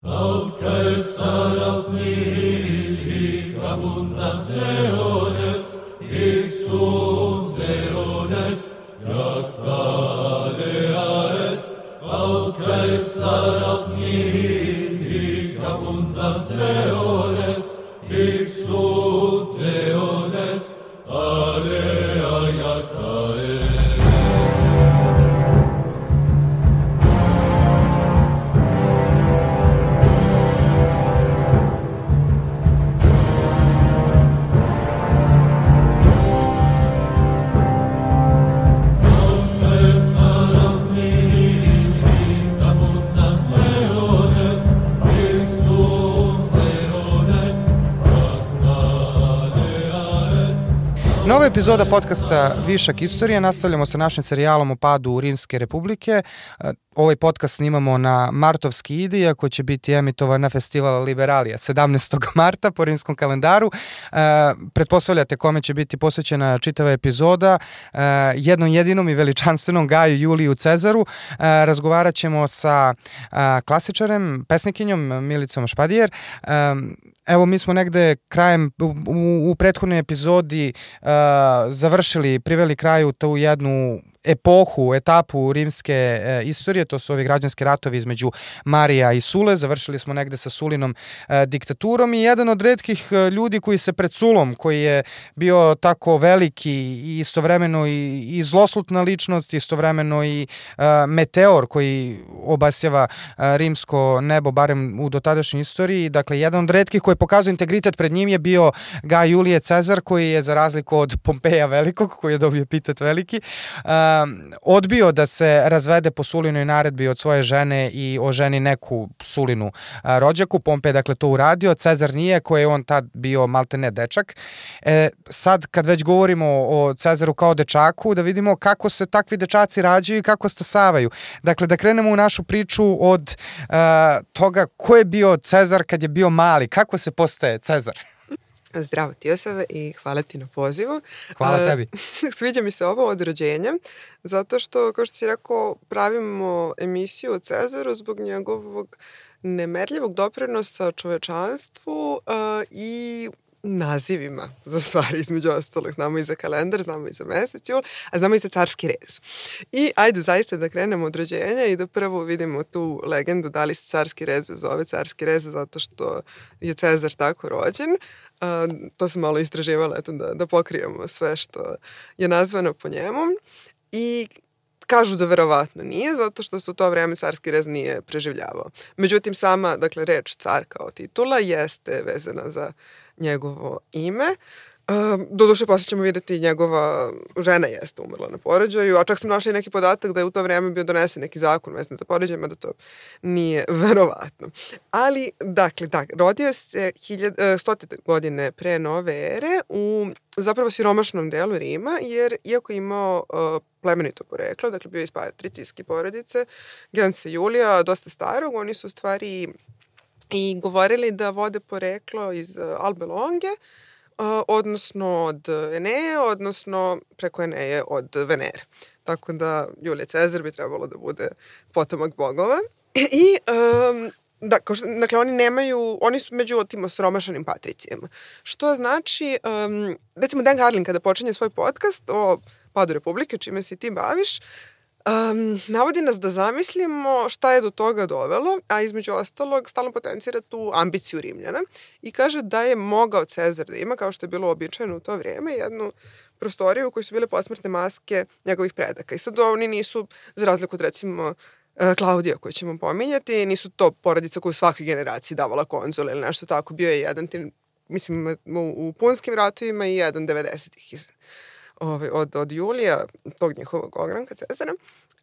Aut Caesarat nihil hic abundant leones, hic sunt leones, jacta alea est. Aut Caesarat nihil hic abundant leones, hic sunt leones, alea jacta est. Nova epizoda podcasta Višak istorije. Nastavljamo sa našim serijalom o padu Rimske republike. Ovaj podcast snimamo na martovski ide, iako će biti emitovan na festival Liberalija 17. marta po rimskom kalendaru. Pretpostavljate kome će biti posvećena čitava epizoda. Jednom jedinom i veličanstvenom Gaju Juliju Cezaru. Razgovarat ćemo sa klasičarem, pesnikinjom Milicom Špadijer. Evo, mi smo negde krajem, u prethodnoj epizodi priveli kraju tu jednu etapu rimske istorije, to su ovi građanski ratovi između Marija i Sule. Završili smo negde sa Sulinom diktaturom i jedan od retkih ljudi koji se pred Sulom, koji je bio tako veliki i istovremeno i zloslutna ličnost, istovremeno i meteor koji obasjava rimsko nebo, barem u dotadašnjoj istoriji. Dakle, jedan od retkih koji pokazuje integritet pred njim je bio Gaj Julije Cezar, koji je, za razliku od Pompeja Velikog, koji je dobio epitet veliki, odbio da se razvede po Sulinoj naredbi od svoje žene i oženi neku Sulinu rođaku. Pompej, dakle, to uradio. Cezar nije, koji je on tad bio maltene dečak. Sad, kad već govorimo o Cezaru kao dečaku, da vidimo kako se takvi dečaci rađaju i kako stasavaju. Dakle, da krenemo u našu priču od toga ko je bio Cezar kad je bio mali, kako se postaje Cezar. Zdravo ti, Josave, i hvala ti na pozivu. Hvala tebi. Sviđa mi se ovo od rođenja, zato što, kao što si rekao, pravimo emisiju o Cezaru zbog njegovog nemerljivog doprinosa čovečanstvu i nazivima za stvari, između ostalog. Znamo i za kalendar, znamo i za mesec jul, a znamo i za carski rez. I ajde zaista da krenemo od rođenja i da prvo vidimo tu legendu da li se carski rez zove carski rez zato što je Cezar tako rođen. To sam malo istraživala, eto, da pokrijemo sve što je nazvano po njemu. I kažu da verovatno nije, zato što se u to vreme carski rez nije preživljavao. Međutim, sama, dakle, reč car kao titula jeste vezana za njegovo ime. Doduše, posle ćemo vidjeti, njegova žena jeste umrla na porođaju, a čak sam našla i neki podatak da je u to vreme bio donesen neki zakon vezan za porođaj, mada to nije verovatno. Ali, dakle, rodio se 100. godine pre nove ere u zapravo siromašnom delu Rima, jer iako je imao plemenito poreklo, dakle bio je iz patricijske porodice, Gence Julija, dosta starog, oni su u stvari i govorili da vode poreklo iz Albe Longe, odnosno od Eneje, odnosno preko Eneje od Venere. Tako da Julije Cezar bi trebalo da bude potomak bogova. I, dakle, oni su među tim osiromašanim patricijama. Što znači, recimo Dan Carlin kada počinje svoj podcast o padu Republike, čime se ti baviš, navodi nas da zamislimo šta je do toga dovelo, a između ostalog stalno potencira tu ambiciju Rimljana i kaže da je mogao Cezar da ima, kao što je bilo običajno u to vrijeme, jednu prostoriju u kojoj su bile posmrtne maske njegovih predaka. I sad oni nisu, za razliku od recimo Klaudija koju ćemo pominjati, nisu to porodica koju svakoj generaciji davala konzule ili nešto tako. Bio je jedan, mislim, u punskim ratovima i jedan 90-ih od Julija, tog njihovog ogranka Cezara,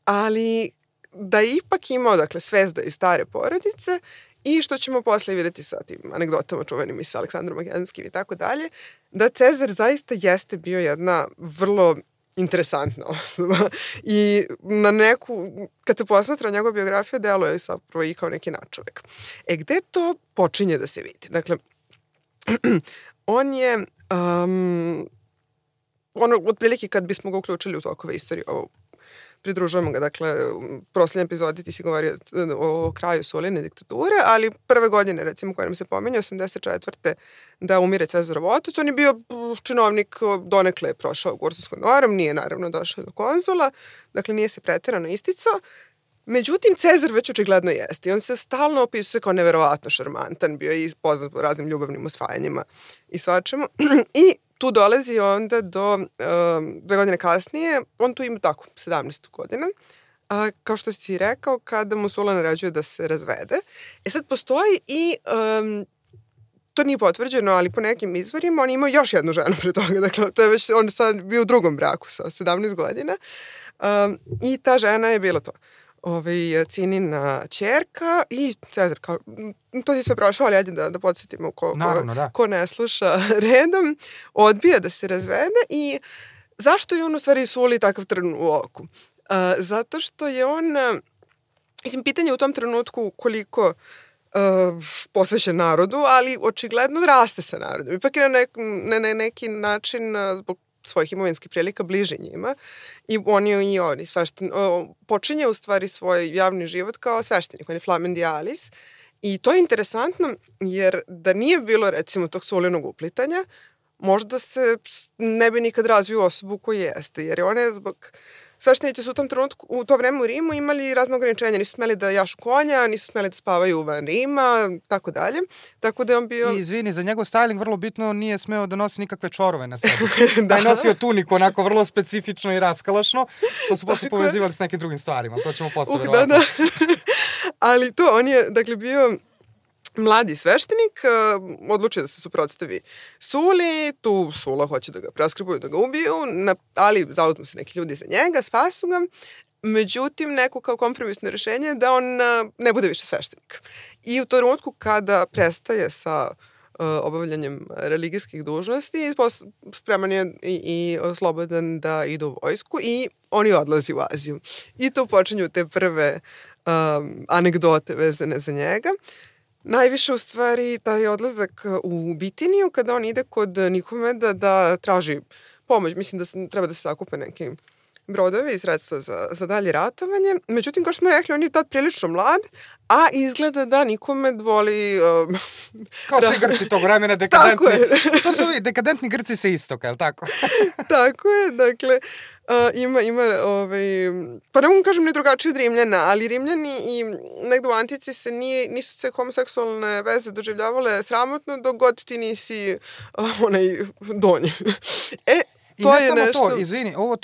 ali da je ipak imao, dakle, zvezda iz stare porodice i što ćemo posle vidjeti sa tim anegdotama čuvenim i sa Aleksandrom Makedonskim i tako dalje, da Cezar zaista jeste bio jedna vrlo interesantna osoba i na neku, kad se posmatra njegova biografija, deluje zapravo i kao neki nadčovek. Gde to počinje da se vidi? Dakle, on je otprilike kad bismo ga uključili u tokove istorije, ovo pridružujemo ga. Dakle, u prošloj epizodi ti si govorio o kraju Suline diktature, ali prve godine, recimo, koje nam se pominje, 84. da umire Cezarov otac, on je bio činovnik, donekle je prošao Gursovskom norom, nije naravno došao do konzula, dakle nije se preterano isticao. Međutim, Cezar već očigledno jeste i on se stalno opisuje kao neverovatno šarmantan, bio je i poznat po raznim ljubavnim osvajanjima i svačemu. I tu dolazi onda do 2 godine kasnije, on tu ima tako 17 godina, kao što si rekao, kada mu Sula naređuje da se razvede. Sad postoji i, to nije potvrđeno, ali po nekim izvorima, on imao još jednu ženu pre toga, dakle, to je već, on je sad bio u drugom braku sa 17 godina i ta žena je bila to. Cinina ćerka i Cezar, kao, to si sve prošao, ali ajde da podsjetimo ko ne sluša redom, odbija da se razvede i zašto je on u stvari Suli takav trn u oku? Zato što je on, mislim, pitanje u tom trenutku koliko posvećen narodu, ali očigledno raste sa narodom. Ipak je na neki način zbog svojih imovinskih prilika bliži njima i on je i oni počinje u stvari svoj javni život kao sveštenik, on je flamendialis i to je interesantno jer da nije bilo recimo tog Sulinog uplitanja, možda se ne bi nikad razvio osobu koji jeste, jer on je zbog sveštenici su u tom trenutku, u to vreme u Rimu imali razne ograničenja, nisu smeli da jašu konja, nisu smeli da spavaju van Rima, tako dalje. Tako da je on bio... I izvini, za njegov styling vrlo bitno nije smeo da nosi nikakve čorove na sebi. Da je nosio tuniku onako vrlo specifično i raskalašno, što su posle povezivali s nekim drugim stvarima. To ćemo posle verovatno. Da. Ali to, on je, dakle, bio mladi sveštenik, odlučio da se suprotstavi Suli, tu Sula hoće da ga preskribuju, da ga ubiju, ali zauzmu se neki ljudi za njega, spasu ga. Međutim, neko kao kompromisno rešenje da on ne bude više sveštenik. I u tom trenutku kada prestaje sa obavljanjem religijskih dužnosti, spreman je i slobodan da ide u vojsku i oni odlazi u Aziju. I tu počinju te prve anegdote vezane za njega. Najviše u stvari taj odlazak u Bitiniju kada on ide kod Nikomeda da traži pomoć. Mislim da treba da se sakupe neki brodovi i sredstva za dalje ratovanje. Međutim, kao što smo rekli, on je tad prilično mlad, a izgleda da Nikomed voli... Kao svi Grci tog vremena, dekadentni. To su ovi dekadentni Grci sa istoka, je li tako? Tako je, dakle, ima pa ne mogu kažem ni drugačije od Rimljana, ali Rimljani i negde u antici nisu se homoseksualne veze doživljavale sramotno dok god ti nisi onaj donji. I ne samo nešto... to, izvini, ovo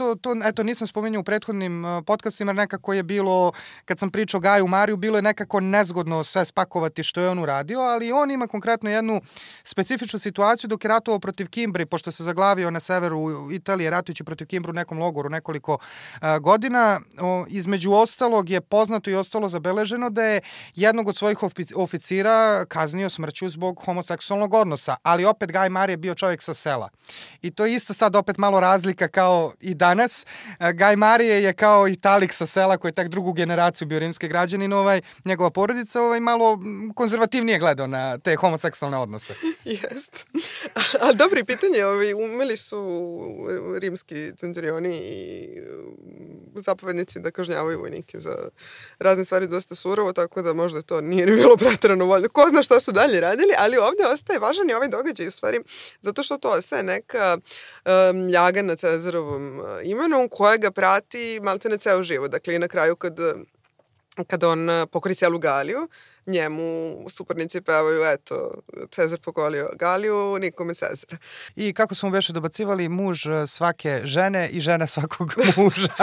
eto, nisam spomenuo u prethodnim podcastima, nekako je bilo, kad sam pričao o Gaju Mariju, bilo je nekako nezgodno sve spakovati što je on uradio, ali on ima konkretno jednu specifičnu situaciju dok je ratovao protiv Kimbri, pošto se zaglavio na severu Italije, ratujući protiv Kimbru u nekom logoru nekoliko godina. Između ostalog je poznato i ostalo zabeleženo da je jednog od svojih oficira kaznio smrću zbog homoseksualnog odnosa, ali opet Gaj Marije je bio čovjek sa sela. I to je isto sad opet malo razlika kao i danas. Gaj Marije je kao Italik sa sela koji je tak drugu generaciju bio rimski građanin, njegova porodica malo konzervativnije gledao na te homoseksualne odnose. Jest. Ali dobro pitanje, umeli su rimski centurioni i zapovednici da kažnjavaju vojnike za razne stvari dosta surovo, tako da možda to nije bilo preterano voljno. Ko zna šta su dalje radili, ali ovdje ostaje važan i ovaj događaj u stvari, zato što to ostaje neka ljaga na Cezarovom imenu koja ga prati maltene ceo život. Dakle, i na kraju kad on pokori celu Galiju, njemu suparnici pevaju, eto, Cezar pokolio Galiju, nikome Cezara. I kako smo veše dobacivali, muž svake žene i žena svakog muža.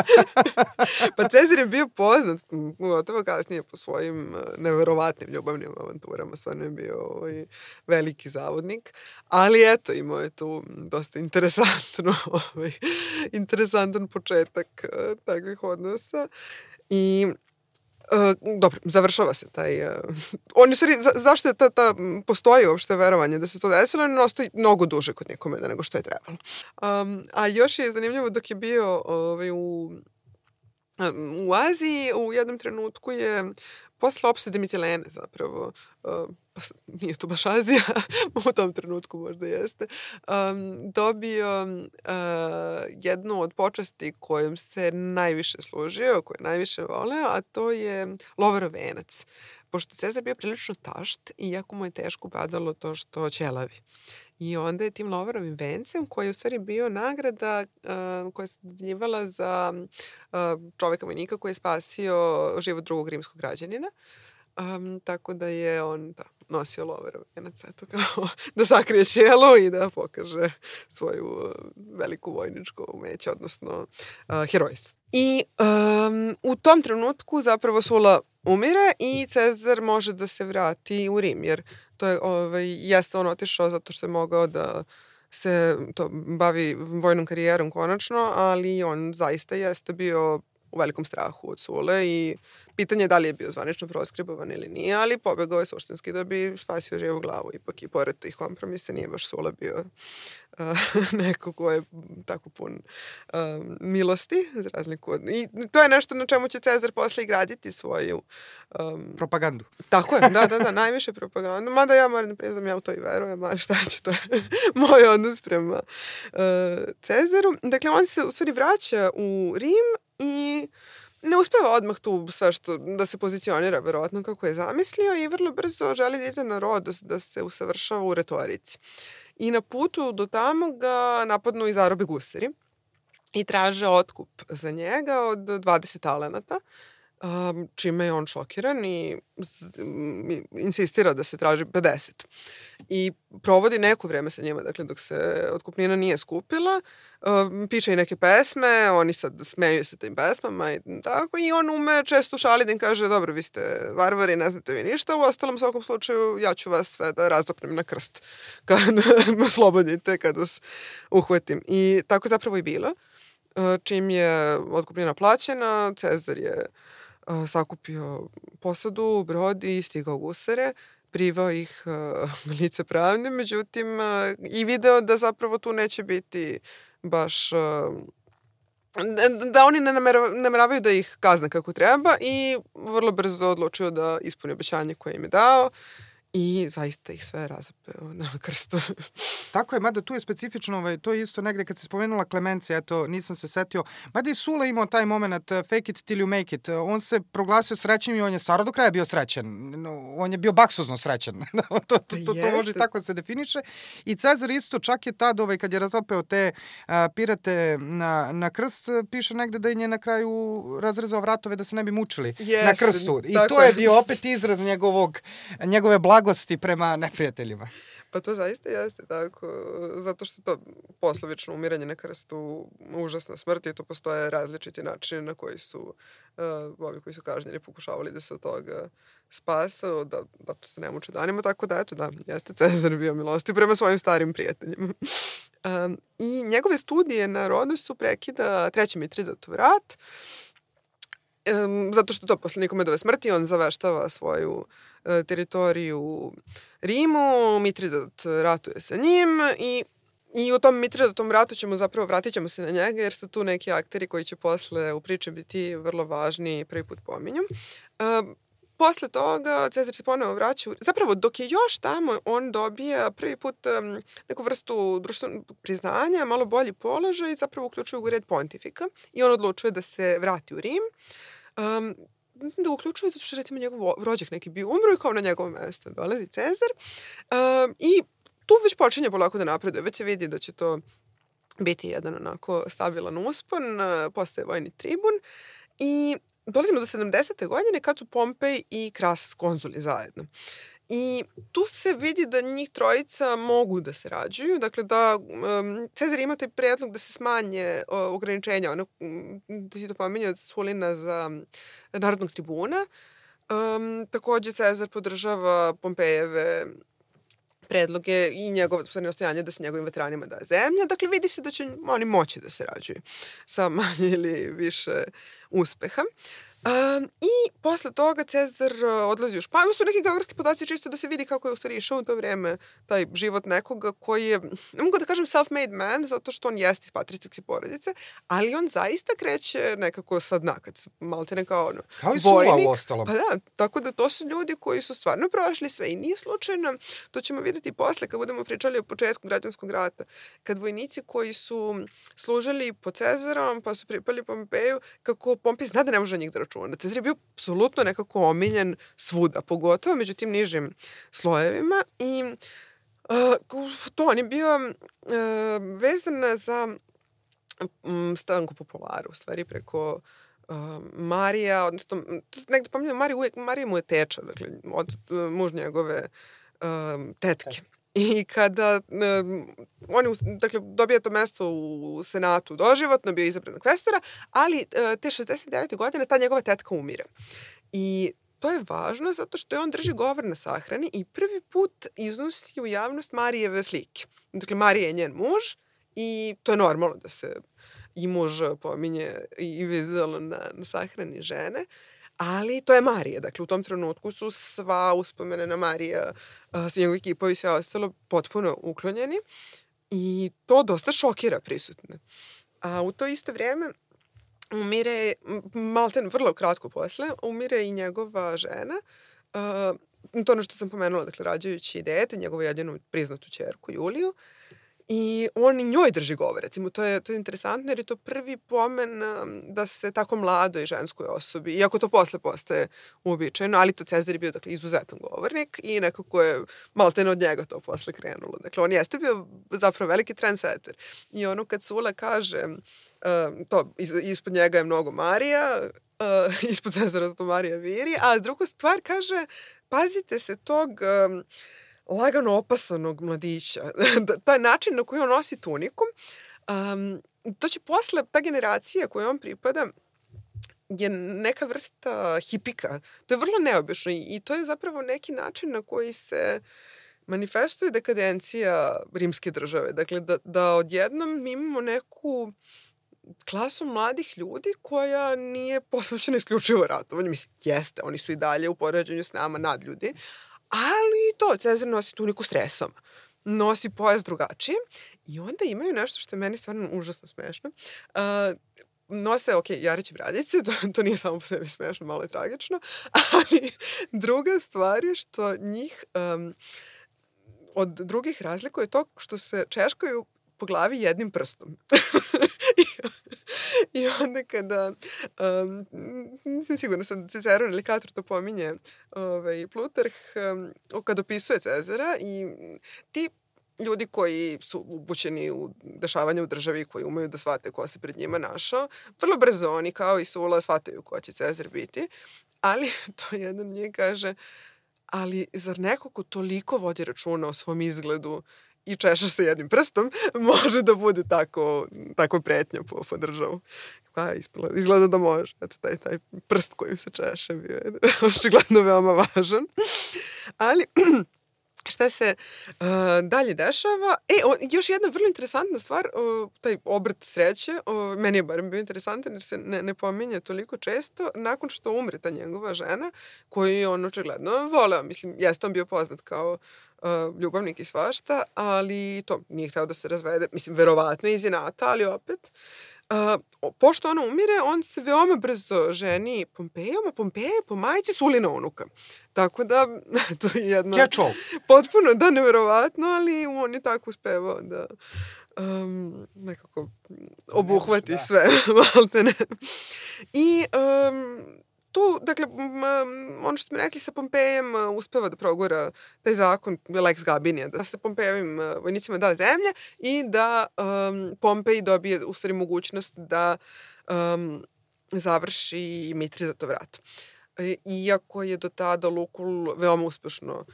Pa Cezar je bio poznat, gotovo kasnije po svojim neverovatnim ljubavnim avanturama, stvarno je bio veliki zavodnik, ali eto, imao je tu dosta interesantan početak takvih odnosa i dobro, završava se taj... On, u stvari, zašto je postoji uopšte verovanje da se to desilo, on ostoji mnogo duže kod Nikomeda nego što je trebalo. A još je zanimljivo dok je bio u Aziji, u jednom trenutku je posle opsade Mitilene zapravo, pa nije to baš Azija, u tom trenutku možda jeste, dobio jednu od počasti kojom se najviše služio, koju najviše voleo, a to je Lovarov venac. Pošto Cezar bio prilično tašt i jako mu je teško padalo to što ćelavi. I onda je tim Lovarovim vencem, koji je u stvari bio nagrada koja se dodjeljivala za čoveka vojnika koji je spasio život drugog rimskog građanina. Tako da je on nosio Lovarov venac, eto, kao da sakrije ćelu i da pokaže svoju veliku vojničko umeće, odnosno herojstvo. I u tom trenutku zapravo Sula umire i Cezar može da se vrati u Rim, jer to je, jeste on otišao zato što je mogao da se bavi vojnom karijerom konačno, ali on zaista jeste bio u velikom strahu od Sule i pitanje je da li je bio zvanično proskribovan ili nije, ali pobegao je suštinski da bi spasio živu glavu. Ipak i pored tih kompromisa nije baš Sula bio neko ko je tako pun milosti, za razliku od... I to je nešto na čemu će Cezar posle i graditi svoju... propagandu. Tako je, da, najviše propagandu. Mada ja moram da priznam, ja u to i verujem, ali šta ću, to je moj odnos prema Cezaru. Dakle, on se u stvari vraća u Rim i ne uspeva odmah tu sve što da se pozicionira verovatno kako je zamislio i vrlo brzo želi da ide na Rodos da se usavršava u retorici. I na putu do tamo ga napadnu i zarobe gusari i traže otkup za njega od 20 talenata, čime je on šokiran i insistira da se traži 50. I provodi neko vreme sa njima, dakle, dok se otkupnina nije skupila, piše i neke pesme, oni sad smeju se tim pesmama i tako, i on ume često šali da im kaže, dobro, vi ste varvari, ne znate vi ništa, u ostalom svakom slučaju ja ću vas sve da razapnem na krst kad me oslobodite, kad vas uhvatim. I tako zapravo i bilo. Čim je otkupnina plaćena, Cezar je sakupio posadu, brod i stigao gusare, privao ih lice pravne, međutim i video da zapravo tu neće biti baš... da oni ne nameravaju da ih kazne kako treba i vrlo brzo odlučio da ispuni obećanje koje im je dao i zaista ih sve razapeo na krstu. Tako je, mada tu je specifično, to je isto negde kad se spomenula Klemencija, eto, nisam se setio, mada i Sula imao taj moment fake it till you make it, on se proglasio srećnim i on je stvarno do kraja bio srećan, on je bio baksuzno srećan, to može tako se definiše i Cezar isto čak je tad, kad je razapeo te pirate na krst, piše negde da je na kraju razrezao vratove da se ne bi mučili na krstu i to je bio opet izraz njegove blagosti prema neprijateljima. Pa to zaista jeste tako, zato što to poslovično umiranje na krstu užasna smrt i to postoje različiti načini na koji su ovi koji su kažnjeni pokušavali da se od toga spase, da se ne muče danima, tako da eto, da, jeste Cezar bio milostiv prema svojim starim prijateljima. I njegove studije na Rodosu prekida treći Mitridatov rat, zato što to posle Nikomedove smrti on zaveštava svoju teritoriju u Rimu, Mitridat ratuje sa njim i u tom Mitridatovom ratu vratit ćemo se na njega jer su tu neki akteri koji će posle u priči biti vrlo važni i prvi put pominju. Posle toga Cezar se ponovo vraća, zapravo dok je još tamo on dobija prvi put neku vrstu društvenog priznanja, malo bolji položaj i zapravo uključuje u red pontifika i on odlučuje da se vrati u Rim. Da uključuje zato što recimo njegov rođak neki bio umro i kao na njegovo mesto dolazi Cezar i tu već počinje polako da napreduje, već se vidi da će to biti jedan onako stabilan uspon, postaje vojni tribun i dolazimo do 70. godine kad su Pompej i Kras konzuli zajedno. I tu se vidi da njih trojica mogu da se rađuju, dakle da Cezar ima taj predlog da se smanje ograničenja, da si to pominje od Sulina za narodnog tribuna. Takođe Cezar podržava Pompejeve predloge i njegovo nastojanje da se njegovim veteranima daje zemlja. Dakle, vidi se da će oni moći da se rađuju sa manje ili više uspeha. I posle toga Cezar odlazi u Španiju. Su neki geografski podaci čisto da se vidi kako je u stvari išao u to vreme taj život nekoga koji je, ne mogu da kažem self-made man, zato što on jeste iz patricijske porodice, ali on zaista kreće nekako sa dna, kad maltene kao ono, kao i Sula u ostalom. Pa da, tako da to su ljudi koji su stvarno prošli sve i nije slučajno. To ćemo vidjeti posle kad budemo pričali o početku građanskog rata. Kad vojnici koji su služili pod Cezarom, pa su pripali Pompeju, kako Pompej zna da ne može njih da računa. Cezar je bio apsolutno nekako omiljen svuda, pogotovo među tim nižim slojevima i to on je bio vezan za Stanko Popularu, u stvari preko Marija, odnosno negde pominjam Marija mu je teča, dakle, od muž njegove tetke. I kada on dakle, dobija to mesto u Senatu doživotno, bio izabran kvestora, ali te 69. godine ta njegova tetka umire. I to je važno zato što je on drži govor na sahrani i prvi put iznosi u javnost Marijeve slike. Dakle, Marija je njen muž i to je normalno da se i muž pominje i vizualno na sahrani žene. Ali to je Marija. Dakle, u tom trenutku su sva uspomene na Marija, njegov ekipa i sve ostalo potpuno uklonjeni i to dosta šokira prisutne. A u to isto vrijeme umire, malten vrlo kratko posle, umire i njegova žena, to ono što sam pomenula, dakle, rađajući dete, njegovu jedinu priznatu ćerku Juliju, i on i njoj drži govor, recimo, to je interesantno jer je to prvi pomen da se tako mladoj ženskoj osobi, iako to posle postaje uobičajeno, ali to Cezar je bio, dakle, izuzetan govornik i nekako je maltene od njega to posle krenulo. Dakle, on jeste bio zapravo veliki trendsetter. I ono kad Sula kaže, to ispod njega je mnogo Marija, ispod Cezara to Marija viri, a druga stvar kaže, pazite se tog lagano opasanog mladića. Taj način na koji on nosi tuniku, to će posle, ta generacija koju on pripada, je neka vrsta hipika. To je vrlo neobično i to je zapravo neki način na koji se manifestuje dekadencija rimske države. Dakle, da odjednom mi imamo neku klasu mladih ljudi koja nije posvećena isključivo ratovanju. Mislim, jeste, oni su i dalje u poređenju s nama nadljudi, ali to, Cezar nosi tuniku s resama, nosi pojas drugačije i onda imaju nešto što je meni stvarno užasno smešno. Nose, jariće bradice, to nije samo po sebi smešno, malo je tragično, ali druga stvar je što njih od drugih razlikuje to što se češkaju po glavi jednim prstom. I onda kada, nisam sigurna, sad Ciceron ili Kator to pominje, Plutarh, kada opisuje Cezara i ti ljudi koji su upućeni u dešavanje u državi, koji umeju da shvate ko se pred njima našao, vrlo brzo oni kao i Sula shvataju ko će Cezar biti, ali to jedan njih kaže, ali zar neko ko toliko vodi računa o svom izgledu i češa se jednim prstom, može da bude tako pretnja po državu. Pa izgleda da može. Eto, taj prst kojim se češe bio je očigledno veoma važan. Ali šta se dalje dešava? Još jedna vrlo interesantna stvar, taj obrt sreće, meni je barem bio interesantan jer se ne pominje toliko često, nakon što umre ta njegova žena, koju je on očigledno voleo. Mislim, jeste on bio poznat kao ljubavnik i svašta, ali to nije hteo da se razvede, mislim, verovatno iz inata, ali opet. Pošto ona umire, on se veoma brzo ženi Pompejom, a Pompeja je po majici Sulina unuka. Tako da, to je jedno potpuno, da, neverovatno, ali on je tako uspevao da nekako obuhvati sve, maltene. I tu, dakle, ono što smo rekli sa Pompejem, uspeva da progura taj zakon, Lex Gabinija, da se Pompejevim vojnicima da zemlja i da Pompej dobije u stvari mogućnost da završi Mitrizatov rat. Iako je do tada Lukul veoma uspešno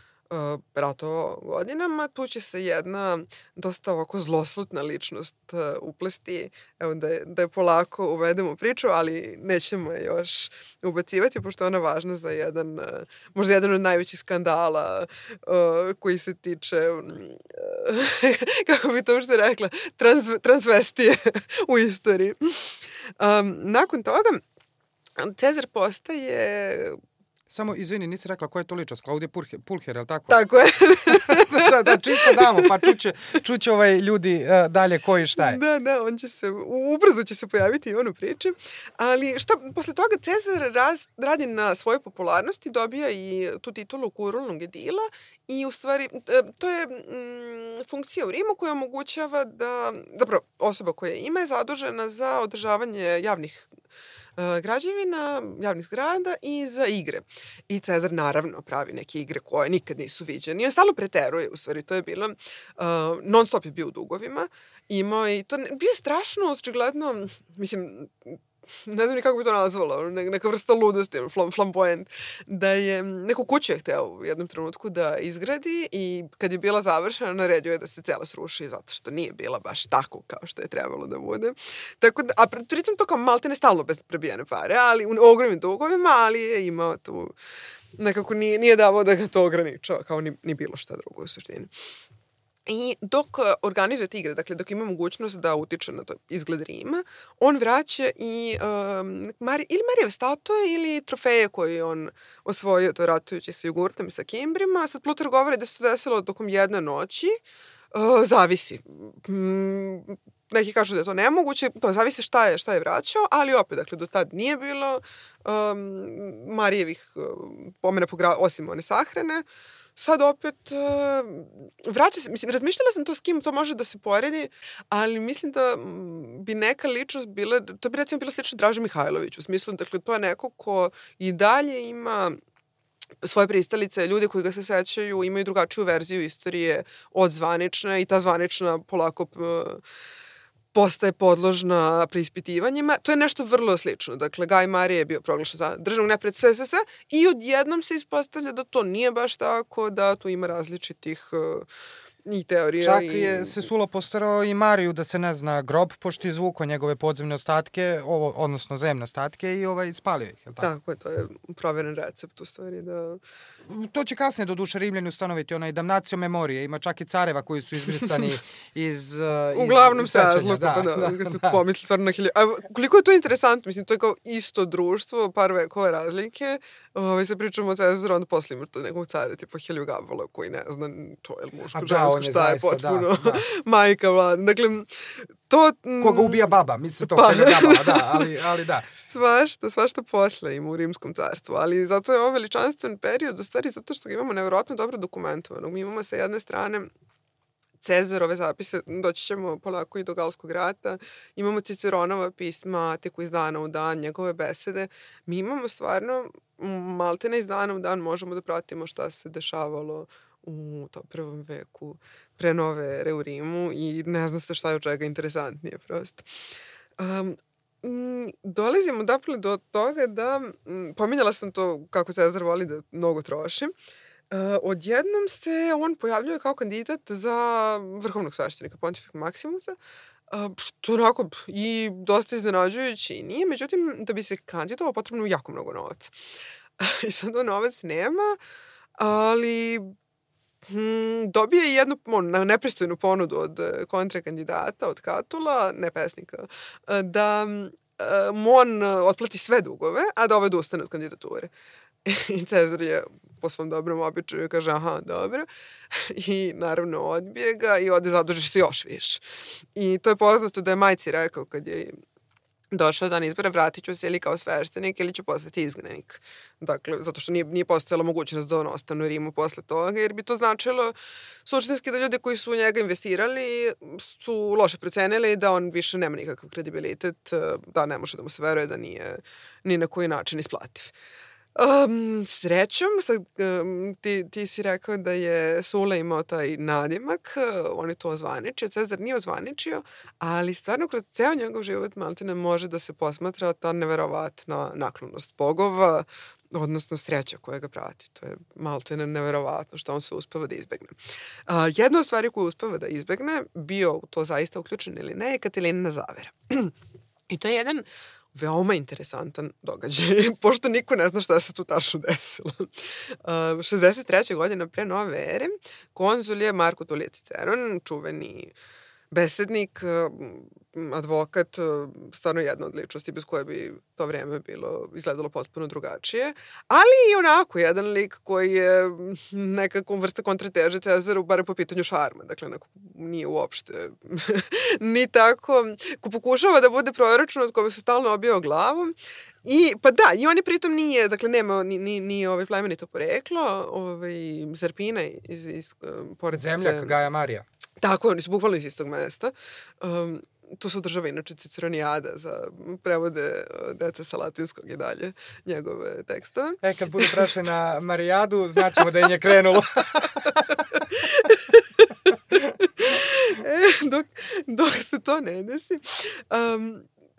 ratovao godinama, tu će se jedna dosta ovako zloslutna ličnost uplesti, evo da je polako uvedemo priču, ali nećemo je još ubacivati, pošto je ona važna za možda jedan od najvećih skandala koji se tiče, kako bi to uopšte rekla, transvestije u istoriji. Nakon toga, Cezar postaje... Samo, izvini, nisi rekla koja je to ličnost, Klaudija Pulcher, je li tako? Tako je. da, čisto damo, pa čuće ljudi dalje ko i šta je. Da, on će se, ubrzo će se pojaviti i on u priči. Ali posle toga Cezar radi na svojoj popularnosti, dobija i tu titulu kurulnog edila i u stvari to je funkcija u Rimu koja omogućava da, zapravo osoba koja ima je zadužena za održavanje javnih građevina, javnih zgrada i za igre. I Cezar naravno pravi neke igre koje nikad nisu viđene. I on stalno preteruje, u stvari, to je bilo, non stop je bio u dugovima. Imao i to bio strašno, očigledno, mislim, ne znam ni kako bi to nazvala, neka vrsta ludosti, flamboyant, da je neku kuću je hteo u jednom trenutku da izgradi i kad je bila završena, naredio je da se cela sruši zato što nije bila baš tako kao što je trebalo da bude. Tako da, a pritom to kao maltene stalno bez prebijene pare, ali u ogromnim dugovima, ali je imao tu, nekako nije davao da ga to ograničava, kao ni bilo šta drugo u suštini. I dok organizuje te igre, dakle dok ima mogućnost da utiče na to izgled Rima, on vraća i ili Marijeve statue ili trofeje koje on osvojio to ratujući sa jogurtom i sa kimbrima. Sad Plutar govori da se to desilo tokom jedne noći. Zavisi. Neki kažu da je to nemoguće, to zavisi šta je vraćao, ali opet, dakle, do tad nije bilo Marijevih pomena osim one sahrane. Sad opet vraća se, mislim, razmišljala sam to s kim to može da se poredi, ali mislim da bi neka ličnost bila, to bi recimo bilo slično Draži Mihajlović, u smislu, dakle, to je neko ko i dalje ima svoje pristalice, ljude koji ga se sećaju, imaju drugačiju verziju istorije od zvanične i ta zvanična polako postaje podložna preispitivanjima. To je nešto vrlo slično. Dakle, Gaj Marije je bio proglašen za državnog neprijatelja SSS i odjednom se ispostavlja da to nije baš tako, da tu ima različitih i teorija. Čak je Sesula postarao i Mariju da se ne zna grob, pošto je izvukao njegove podzemne ostatke, odnosno zemne ostatke i spalio ih, je li tako? Tako je, to je proveren recept u stvari da... To će kasnije do duše Rimljani ustanoviti, onaj damnacio memorije, ima čak i careva koji su izbrisani iz uglavnom se razluku, kad se pomisli stvarno na hilju. A koliko je to interesantno, mislim, to je kao isto društvo, par vekova razlike, se pričamo o Cezaru, onda posle ima to nekog cara, tipa Heliogabalova, koji ne zna, to je muško, žensko, šta je potpuno, majka vlada. Dakle, to... Koga ubija baba, mislim to Heliogabalova, da, ali da. Svašta posle ima u Rimskom carstvu, ali zato je ovo veličanstven period, u stvari zato što ga imamo nevjerojatno dobro dokumentovano. Mi imamo sa jedne strane Cezarove zapise, doći ćemo polako i do Galskog rata, imamo Ciceronova pisma, teku iz dana u dan, njegove besede. Mi imamo stvarno, maltene iz dana u dan možemo da pratimo šta se dešavalo u tom prvom veku pre nove ere u Rimu i ne zna se šta je od čega interesantnije prosto. Dolazimo dakle do toga da, pominjala sam to kako Cezar voli da mnogo troši, odjednom se on pojavljuje kao kandidat za vrhovnog sveštenika Pontifika Maximusa, što onako i dosta iznenađujući i nije, međutim da bi se kandidovao potrebno jako mnogo novaca. I sad on novac nema, ali dobije jednu nepristojnu ponudu od kontrakandidata, od Katula, ne pesnika, da mu on otplati sve dugove, a da ovaj odustane od kandidature. I Cezar je po svom dobrom običaju kaže aha, dobro. I naravno odbije ga i ode zaduži se još više. I to je poznato da je majci rekao kad je došao dan izbora, vratit ću se ili kao sveštenik ili ću postati izgnanik. Dakle, zato što nije postojala mogućnost da on ostane u Rimu posle toga, jer bi to značilo suštinski da ljudi koji su u njega investirali su loše procenili da on više nema nikakav kredibilitet, da ne može da mu se veruje da nije ni na koji način isplativ. Srećom, ti si rekao da je Sula imao taj nadimak, on je to ozvaničio, Cezar nije ozvaničio, ali stvarno kroz ceo njegov život maltene može da se posmatra ta neverovatna naklonost bogova, odnosno sreća koja ga prati. To je maltene neverovatno što on sve uspeva da izbegne. Jedna od stvari koju uspeva da izbegne, bio u to zaista uključen ili ne, je Katilina zavera. I to je jedan veoma interesantan događaj, pošto niko ne zna šta se tu tačno desilo. 63. godina pre nove ere, konzul je Marko Tulije Ciceron, čuveni besednik, advokat, stvarno jedna od ličnosti bez koje bi to vreme bilo izgledalo potpuno drugačije, ali i onako jedan lik koji je nekako vrsta kontrateže Cezaru, bar po pitanju šarma, dakle nije uopšte ni tako, ko pokušava da bude proročno, od koga se stalno obijao glavom. I, pa da, i on je pritom nije, dakle nema ni plemenito poreklo, Zerpina iz pored Zemljak Gaja Marija. Tako, oni su bukvalno iz istog mesta. Tu se održava inače Ciceronijada za prevode dece sa latinskog i dalje njegove tekstove. Kad budu prešli na Marijadu, znaćemo da je nje krenulo. Dok se to ne desi.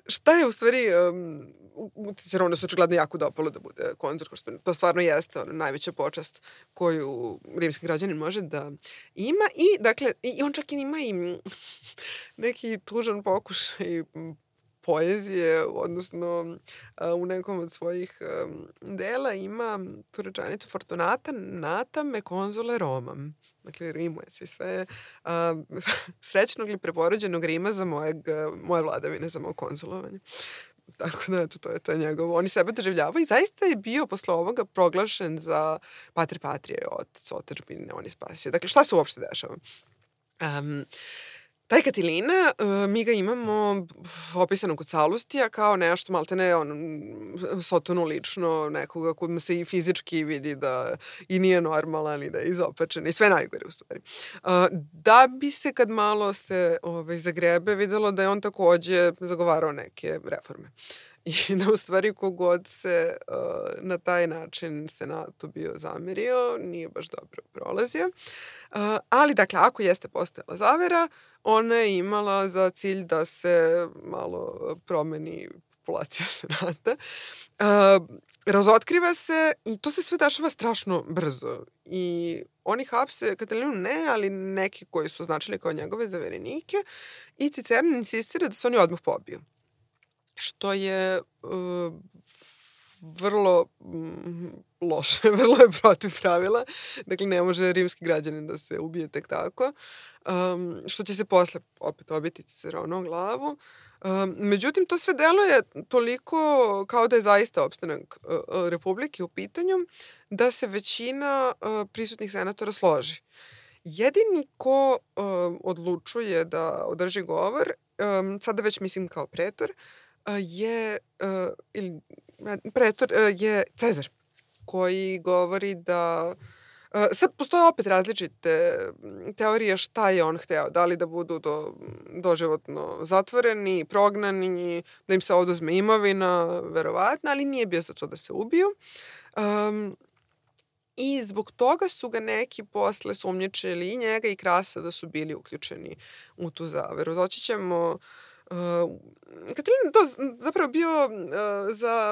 Šta je u stvari... Ciceronu se očigledno jako dopalo da bude konzul, to stvarno jeste najveća počast koju rimski građanin može da ima i dakle i on čak i ima i neki tužan pokušaj poezije, odnosno u nekom od svojih dela ima tu rečenicu Fortunata nata me konzule Romam. Dakle, rimuje se sve srećnog ili preporođenog Rima za moje vladavine, za moje konzulovanje. Tako da, to je njegovo. Oni sebe doživljavaju i zaista je bio posle ovoga proglašen za pater patrije od otadžbine, on je spasio. Dakle, šta se uopšte dešava? Taj Katilina, mi ga imamo opisano kod Salustija kao nešto maltene Sotonu lično, nekoga kojima se i fizički vidi da i nije normalan i da je izopačen i sve najgore u stvari. Da bi se kad malo se zagrebe videlo da je on takođe zagovarao neke reforme. I da u stvari kogod se na taj način senatu bio zamerio, nije baš dobro prolazio. Ali, dakle, ako jeste postojala zavera, ona je imala za cilj da se malo promeni populacija senata. Razotkriva se i to se sve dešava strašno brzo. I oni hapse Katilinu ne, ali neki koji su označili kao njegove zaverenike i Ciceron insistira da se oni odmah pobiju. Što je vrlo loše, vrlo je protiv pravila. Dakle, ne može rimski građanin da se ubije tek tako. Što će se posle opet obiti Ciceronovu glavu. Međutim, to sve deluje toliko kao da je zaista opstanak Republike u pitanju, da se većina prisutnih senatora složi. Jedini ko odlučuje da održi govor, sada već mislim kao pretor, je Cezar, koji govori da... Sad postoje opet različite teorije šta je on hteo. Da li da budu doživotno zatvoreni, prognani, da im se oduzme imovina, verovatno, ali nije bio za to da se ubiju. I zbog toga su ga neki posle sumnjičili i njega i Krasa da su bili uključeni u tu zaveru. Doći ćemo... Katilin to zapravo bio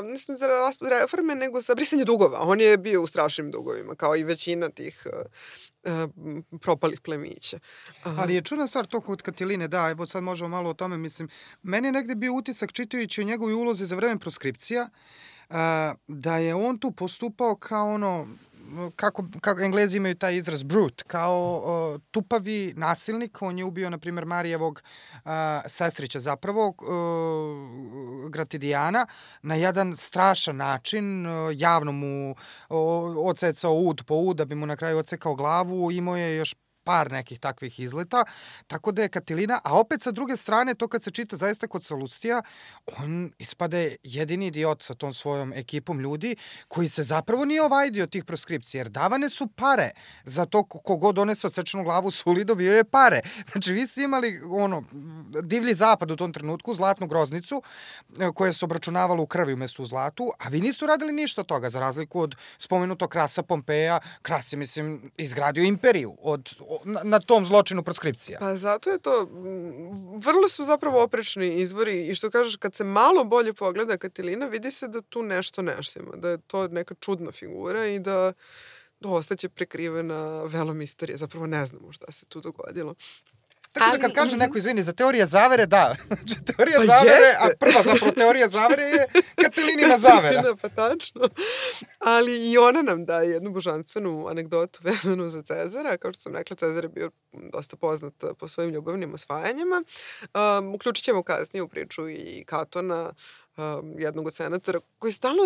nisam za reforme, nego za brisanje dugova. On je bio u strašnim dugovima, kao i većina tih propalih plemića. Ali je čudna stvar to kod Katiline, da, evo sad možemo malo o tome, mislim, meni je negde bio utisak čitajući o njegovoj ulozi za vreme proskripcija, da je on tu postupao kao kako Englezi imaju taj izraz brute, kao tupavi nasilnik. On je ubio, na primjer, Marijevog sestrića zapravo, Gratidijana, na jedan strašan način, javno mu odsecao ud po ud, da bi mu na kraju odsekao glavu, imao je još par nekih takvih izleta, tako da je Katilina, a opet sa druge strane, to kad se čita zaista kod Salustija, on ispade jedini idiot sa tom svojom ekipom ljudi koji se zapravo nije ovajdio tih proskripcija, jer davane su pare za to kogod donese odsečenu glavu suli, dobio je pare. Znači, vi ste imali divlji zapad u tom trenutku, zlatnu groznicu, koja se obračunavala u krvi umesto u zlatu, a vi niste uradili ništa od toga, za razliku od spomenutog Krasa Pompeja. Kras je, mislim, izgradio imperiju na tom zločinu proskripcija. Pa zato je to, vrlo su zapravo oprečni izvori i što kažeš, kad se malo bolje pogleda Katilina, vidi se da tu nešto ima, da je to neka čudna figura i da ostaće prekrivena velom istorije. Zapravo ne znamo šta se tu dogodilo. Tako da kad kaže neko, izvini, za teorije zavere, da. Znači, teorija Pa zavere, jeste. a prva zapravo teorija zavere je Katalinina zavera. Pa tačno. Ali i ona nam daje jednu božanstvenu anegdotu vezanu za Cezara. Kao što sam rekla, Cezar je bio dosta poznat po svojim ljubavnim osvajanjima. Uključit ćemo kasnije u priču i Katona, jednog od senatora, koji stalno,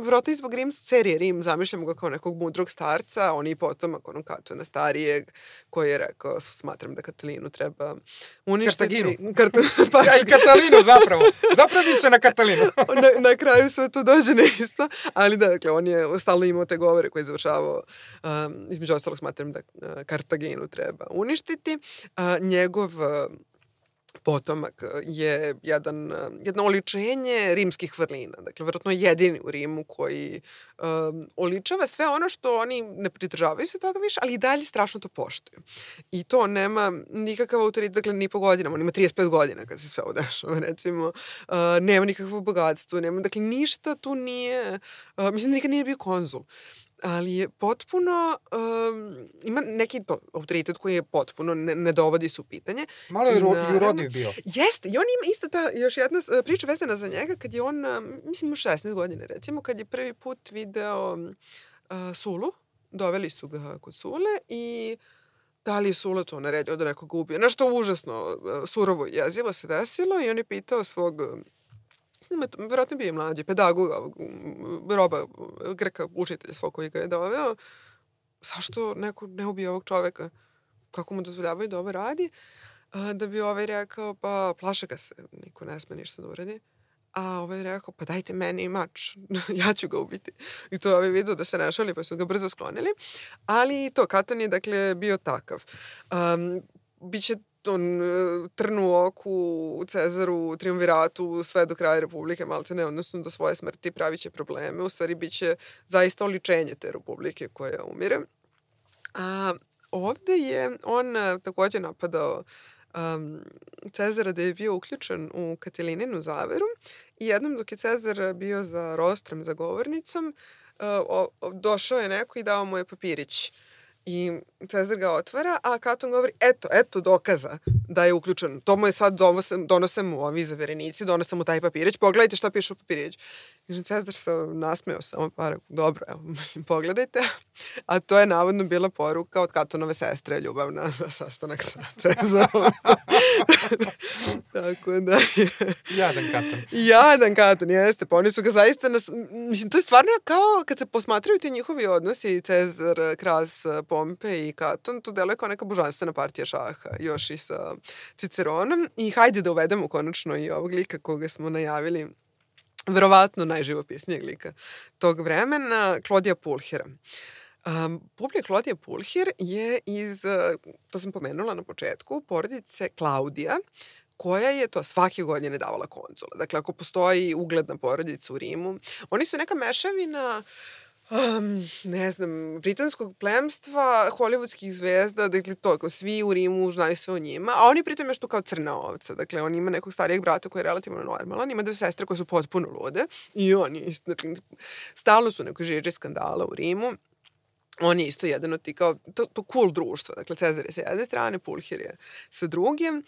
vjerojatno i zbog serije Rim, zamišljamo ga kao nekog mudrog starca, on je i potomak onog Katona starijeg, koji je rekao, smatram da Katalinu treba uništiti. Pa i Katalinu zapravo. Zapravo bi se na Katalinu. na kraju sve to dođe na isto, ali da, dakle, on je stalno imao te govore koje je završavao, između ostalog smatram da Kartaginu treba uništiti. Njegov potomak je jedno oličenje rimskih vrlina. Dakle, vjerojatno jedini u Rimu koji oličava sve ono što oni ne pridržavaju se toga više, ali i dalje strašno to poštuju. I to nema nikakav autoritet, dakle, ni po godinama. On ima 35 godina kad se sve ovo dešava, recimo. Nema nikakvo bogatstvo, nema, dakle, ništa tu nije, mislim da nikad nije bio konzul. Ali je potpuno, ima neki to autoritet koji je potpuno ne dovodi se u pitanje. Malo je urodiv bio. Jeste, i on ima isto ta još jedna priča vezana za njega kad je on, mislim, u 16 godine recimo, kad je prvi put video Sulu, doveli su ga kod Sule i da li je Sula to naredio da nekoga ubije. Nešto užasno surovo i jezivo se desilo i on je pitao svog, vjerojatno bio je mlađi, pedagoga, Roba, Grka, učitelja svog koji ga je doveo, zašto neko ne ubije ovog čoveka? Kako mu dozvoljavaju da ovo radi? Da bi ovaj rekao, pa plaše ga se, niko ne sme ništa da uradi. A ovaj rekao, pa dajte meni mač, ja ću ga ubiti. I to je ovaj video da se ne šali, pa su ga brzo sklonili. Ali to, Katon je, dakle, bio takav. Biće on trn u oku u Cezaru, triumviratu, sve do kraja Republike, maltene, odnosno do svoje smrti pravit će probleme. U stvari, bit će zaista oličenje te Republike koja umire. A ovde je on također napadao Cezara da je bio uključen u Katilininu zaveru i jednom dok je Cezar bio za rostrom, za govornicom, došao je neko i dao mu je papirić. I Cezar ga otvara, a Katon govori, eto dokaza da je uključen. To mu je sad, donose mu ovi zaverenici, donose mu taj papirić, pogledajte šta piše u papirić. I Cezar se nasmeo samo dobro, evo, mislim, pogledajte. A to je navodno bila poruka od Katonove sestre, ljubavna za sastanak sa Cezarom. Tako da je... Jadan Katon, jeste. Pa oni su ga zaista... Mislim, to je stvarno kao kad se posmatraju ti njihovi odnosi, Cezar, Kras, Pompej i Katon, to deluje kao neka božanstvena partija šaha, još i sa Ciceronom. I hajde da uvedemo konačno i ovog lika koga smo najavili, verovatno najživopisnijeg lika tog vremena, Klodija Pulhira. Publija Klodija Pulhir je iz, to sam pomenula na početku, porodice Klaudija, koja je to svake godine davala konzula. Dakle, ako postoji ugledna porodica u Rimu, oni su neka mešavina ne znam, britanskog plemstva, hollywoodskih zvezda, dakle to, svi u Rimu znaju sve o njima, a oni pritom još tu kao crna ovca, dakle on ima nekog starijeg brata koji je relativno normalan, ima 2 sestre koje su potpuno lude i oni, dakle, stalno su nekoj žiži skandala u Rimu. On je isto jedan od ti kao, to cool društvo, dakle Cezar je sa jedne strane, Pulhir je sa drugim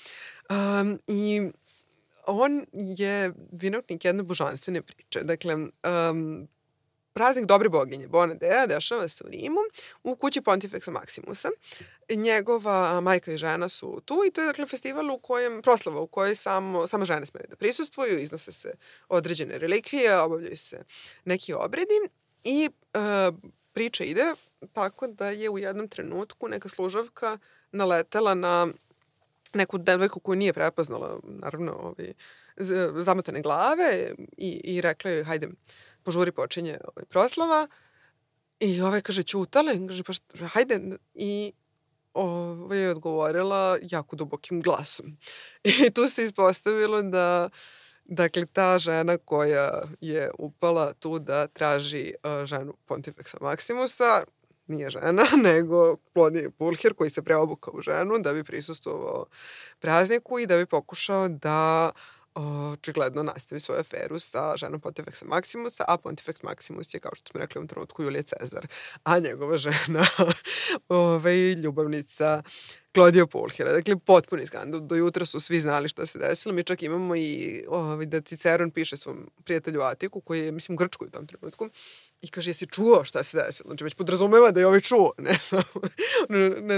i on je vinovnik jedne božanstvene priče, dakle, praznik dobre boginje, Bonadea, dešava se u Rimu, u kući Pontifexa Maximusa. Njegova majka i žena su tu i to je, dakle, festival u kojem, proslava u kojoj samo žene smeju da prisustvuju, iznose se određene relikvije, obavljaju se neki obredi i priča ide tako da je u jednom trenutku neka služavka naletela na neku devojku koju nije prepoznala, naravno, zamotane glave i rekla joj, hajde, požuri, počinje proslava. I kaže, ćutala, i kaže, pa hajde. I je odgovorila jako dubokim glasom. I tu se ispostavilo da, dakle, ta žena koja je upala tu da traži ženu Pontifexa Maximusa, nije žena, nego Klodije Pulhir koji se preobukao u ženu da bi prisustvovao prazniku i da bi pokušao da očigledno nastavi svoju aferu sa ženom Pontifexa Maximusa, a Pontifex Maximus je, kao što smo rekli u ovom trenutku, Julije Cezar, a njegova žena ljubavnica Claudio Pulchera. Dakle, potpuni skandal. Do jutra su svi znali šta se desilo. Mi čak imamo i da Ciceron piše svom prijatelju Atiku, koji je, mislim, u Grčkoj u tom trenutku, i kaže, jesi čuo šta se desilo? Znači, već podrazumeva da je ovaj čuo, ne samo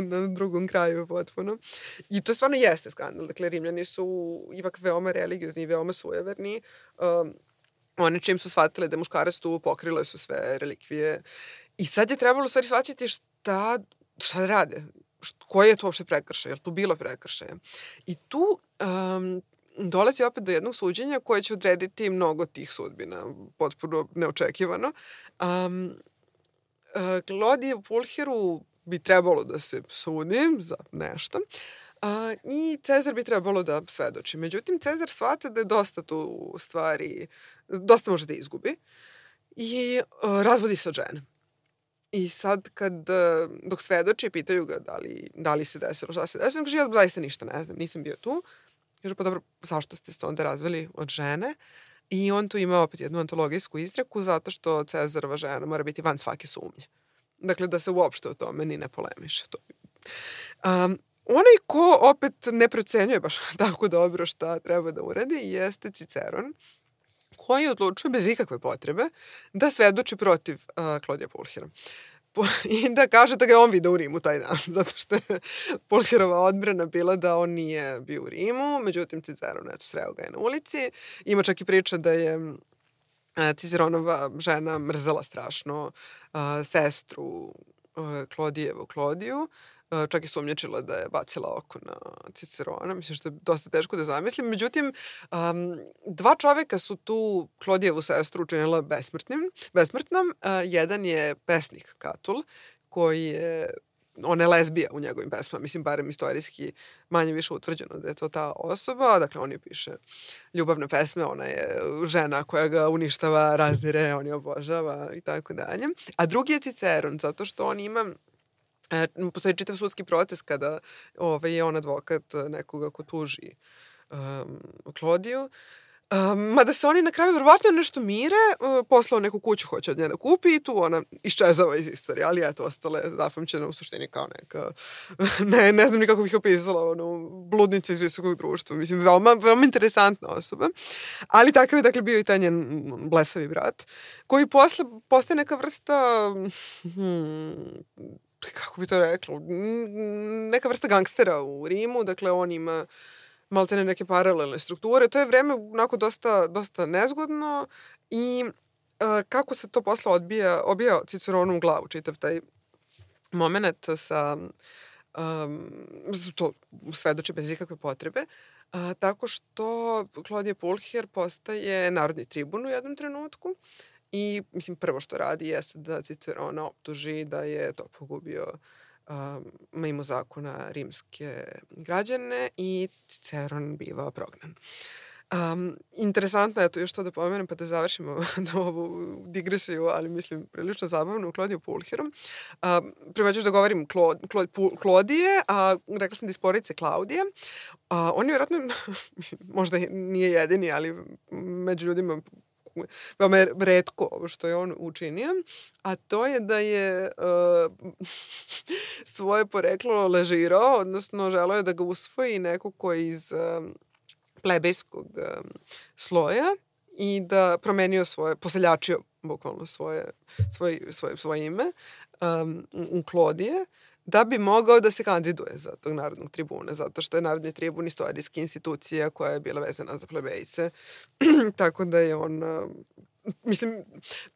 na drugom kraju potpuno. I to stvarno jeste skandal. Dakle, Rimljani su ipak veoma religiozni i veoma sujeverni. One čim su shvatile da je muškarac tu, pokrile su sve relikvije. I sad je trebalo u stvari shvatiti šta rade. Koji je to uopšte prekršaj? Je li tu bilo prekršaja? I tu dolazi opet do jednog suđenja koje će odrediti mnogo tih sudbina, potpuno neočekivano. Claudiju Pulcheru bi trebalo da se sudi za nešto i Cezar bi trebalo da svedoči. Međutim, Cezar shvata da je dosta tu stvari, dosta može da izgubi i razvodi se od žene. I sad dok svedoči, pitaju ga da li se desilo, šta se desilo, kaže, ja zaista ništa ne znam, nisam bio tu. Kaže, pa dobro, zašto ste se onda razveli od žene? I on tu ima opet jednu antologijsku izreku, zato što Cezarova žena mora biti van svake sumnje. Dakle, da se uopšte o tome ni ne polemiše. Onaj ko opet ne procenjuje baš tako dobro šta treba da uradi jeste Ciceron, koji odlučuje bez ikakve potrebe da svedoči protiv Claudia Pulchera. I da kaže da ga je on video u Rimu taj dan, zato što je Pulcherova odbrana bila da on nije bio u Rimu, međutim Ciceron, sreo ga je na ulici. Ima čak i priča da je Ciceronova žena mrzela strašno sestru Claudijevu Claudiju, čak i sumnjačila da je bacila oko na Cicerona, mislim što je dosta teško da zamislim. Međutim, dva čoveka su tu Claudijevu sestru učinila besmrtnom. Jedan je pesnik Katul, koji je, ona je lezbija u njegovim pesmama, mislim, barem istorijski manje više utvrđeno da je to ta osoba. Dakle, on je piše ljubavne pesme, ona je žena koja ga uništava, razdire, on je obožava i tako dalje. A drugi je Ciceron, zato što on ima postoji čitav sudski proces kada je on advokat nekoga ko tuži Claudiju. Mada se oni na kraju verovatno nešto mire, poslao neku kuću, hoće od nje da kupi i tu ona iščezava iz istorije, ali eto, ostale zapamćena u suštini kao neka, ne znam ni kako bih opisala, bludnica iz visokog društva. Mislim, veoma interesantna osoba. Ali takav je, dakle, bio i taj njen blesavi brat, koji posle postaje neka vrsta kako bi to rekla, neka vrsta gangstera u Rimu, dakle on ima maltene neke paralelne strukture. To je vreme onako dosta nezgodno i kako se to posle obija Ciceronu u glavu, čitav taj moment sa to svedoči bez ikakve potrebe, tako što Claudio Pulcher postaje narodni tribun u jednom trenutku. I, mislim, prvo što radi jeste da Cicerona optuži da je to pogubio mimo zakona rimske građane i Ciceron biva prognan. Interesantno je to još to da pomenem pa da završimo ovu digresiju, ali mislim prilično zabavno u Claudiju Pulcheru. Prema ću da govorim Claudije, a rekla sam da isporice Klaudije. On je vjerojatno, možda nije jedini, ali među ljudima veoma je retko ovo što je on učinio, a to je da je svoje poreklo lažirao, odnosno želeo je da ga usvoji neko ko je iz plebejskog sloja i da promenio poseljačio bukvalno svoje ime u Claudije, da bi mogao da se kandiduje za tog narodnog tribuna, zato što je narodni tribun istorijska institucija koja je bila vezana za plebejce. Tako da je on, mislim,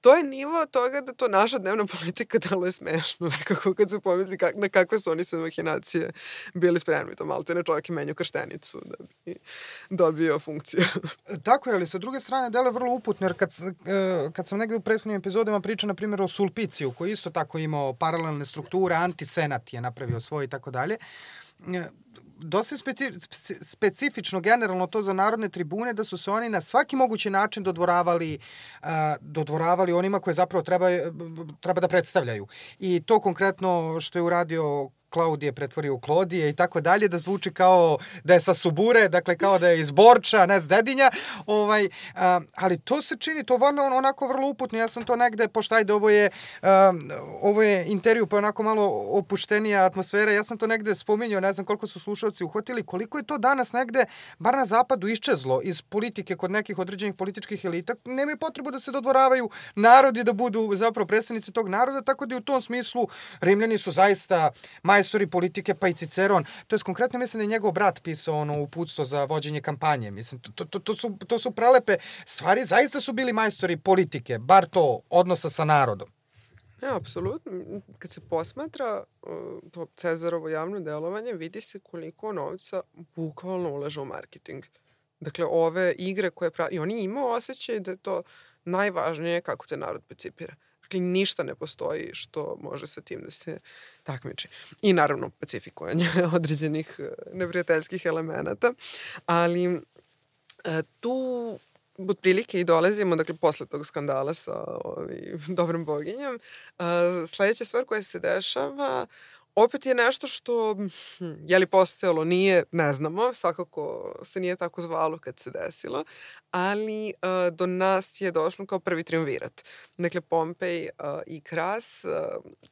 to je nivo toga da to naša dnevna politika deluje smešno, nekako kad se pomisli na kakve su oni sve mahinacije bili spremni. To malo te ne čovjek i menju krštenicu da bi dobio funkciju. Tako je, ali sa druge strane deluje vrlo uputno, jer kad sam negde u prethodnim epizodima pričao, na primjer, o Sulpiciju, koji isto tako imao paralelne strukture, antisenat je napravio svoj i tako dalje, dosta specifično generalno to za narodne tribune, da su se oni na svaki mogući način dodvoravali onima koje zapravo treba da predstavljaju. I to konkretno što je uradio Klaudije pretvorio u Klodije i tako dalje, da zvuči kao da je sa Subure, dakle kao da je iz Borča, ne s Dedinja, ali to se čini, to onako vrlo uputno, ja sam to negde, pošto ajde, ovo je intervju, pa onako malo opuštenija atmosfera, ja sam to negde spominjao, ne znam koliko su slušalci uhvatili, koliko je to danas negde, bar na zapadu, iščezlo iz politike kod nekih određenih političkih elita, nemaju potrebu da se dodvoravaju narodi, da budu zapravo predstavnici tog naroda, tako da u tom smislu Rimljani su zaista majstori politike, pa i Ciceron. To je konkretno, mislim da je njegov brat pisao uputstvo za vođenje kampanje. Mislim, to su prelepe stvari. Zaista su bili majstori politike, bar to, odnosa sa narodom. Ne, apsolutno. Kad se posmatra to Cezarovo javno delovanje, vidi se koliko novca bukvalno ulaže u marketing. Dakle, ove igre koje pravi, i oni imaju osjećaj da je to najvažnije kako te narod percipira. Dakle, ništa ne postoji što može sa tim da se takmiči. I naravno, pacifikovanje određenih neprijateljskih elemenata. Ali tu otprilike i dolazimo, dakle, posle tog skandala sa dobrom boginjom. Sledeća stvar koja se dešava opet je nešto što, je li postojalo, nije, ne znamo, svakako se nije tako zvalo kad se desilo, ali do nas je došlo kao prvi triumvirat. Dakle, Pompej i Kras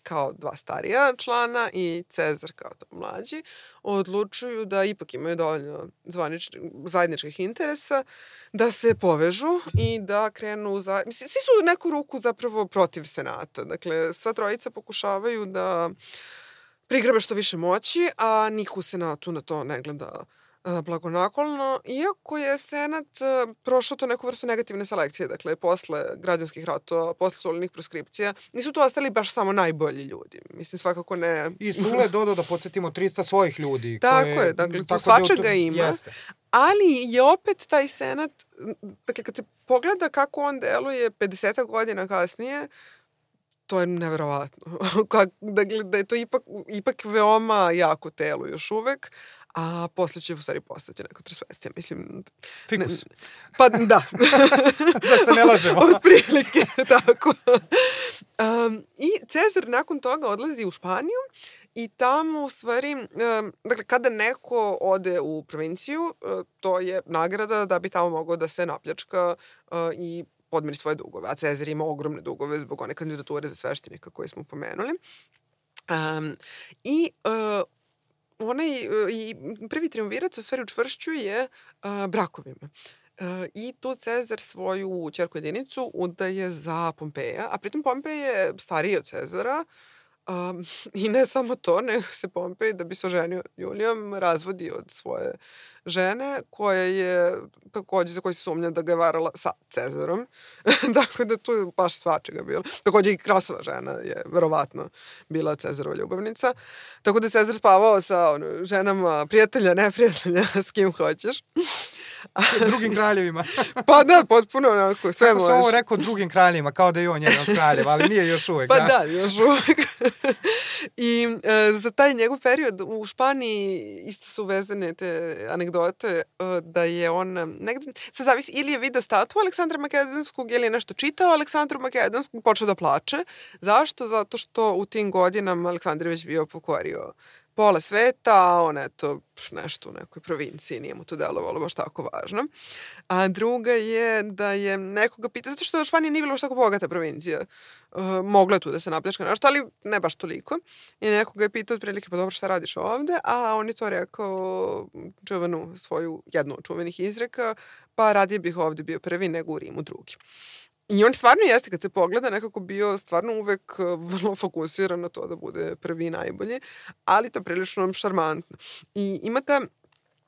kao dva starija člana i Cezar kao to mlađi odlučuju da ipak imaju dovoljno zajedničkih interesa da se povežu i da krenu svi su u neku ruku zapravo protiv Senata. Dakle, sva trojica pokušavaju da prigrabe što više moći, a niko u Senatu na to ne gleda blagonaklonno, iako je Senat prošao to neku vrstu negativne selekcije, dakle, posle građanskih ratova, posle solenih proskripcija, nisu tu ostali baš samo najbolji ljudi. Mislim, svakako ne... I Sule dodao da podsjetimo 300 svojih ljudi. Tako je, dakle, tu svačega ima. Jeste. Ali je opet taj Senat, dakle, kad se pogleda kako on deluje 50 godina kasnije, to je neverovatno. Da je to ipak veoma jako telo još uvek, a posle će u stvari postati neka transvestija. Mislim... Fikus. Pa da. Da se ne lažemo. Otprilike, tako. I Cezar nakon toga odlazi u Španiju i tamo u stvari, dakle, kada neko ode u provinciju, to je nagrada da bi tamo mogao da se napljačka i podmiri svoje dugove, a Cezar ima ogromne dugove zbog one kandidature za sveštenika koje smo pomenuli. I prvi triumvirat se u stvari učvršćuje brakovima. I tu Cezar svoju ćerku jedinicu udaje za Pompeja, a pritom Pompej je stariji od Cezara, i ne samo to, nego se Pompej, da bi se oženio Julijom, razvodi od svoje žene, koja je takođe za koju se sumnja da ga je varala sa Cezarom. Tako da tu je baš svačega bilo. Takođe i Krasova žena je verovatno bila Cezarova ljubavnica. Tako da je Cezar spavao sa ženama prijatelja, neprijatelja, s kim hoćeš. Drugim kraljevima. Pa da, potpuno onako, sve možeš. Kako sam ovo rekao drugim kraljevima, kao da je on jedan od kraljeva, ali nije još uvek. Pa da, još uvek. I za taj njegov period u Španiji isto su vezane te anegdote da je on negde, se zavisi, ili je video statu Aleksandra Makedonskog ili je nešto čitao Aleksandru Makedonskom, počeo da plače. Zašto? Zato što u tim godinama Aleksandar već bio pokorio pola sveta, a on eto nešto u nekoj provinciji, nije mu to delovalo baš tako važno. A druga je da je nekoga pita, zato što Španija nije bila baš tako bogata provincija. Mogla je tu da se napljačka nešto, ali ne baš toliko. I nekoga je pitao otprilike, pa dobro, šta radiš ovde? A on je to rekao jednu od čuvenih izreka, pa radije bih ovde bio prvi nego u Rimu drugi. I on stvarno jeste, kad se pogleda, nekako bio stvarno uvek vrlo fokusiran na to da bude prvi i najbolji, ali to je prilično šarmantno. I ima ta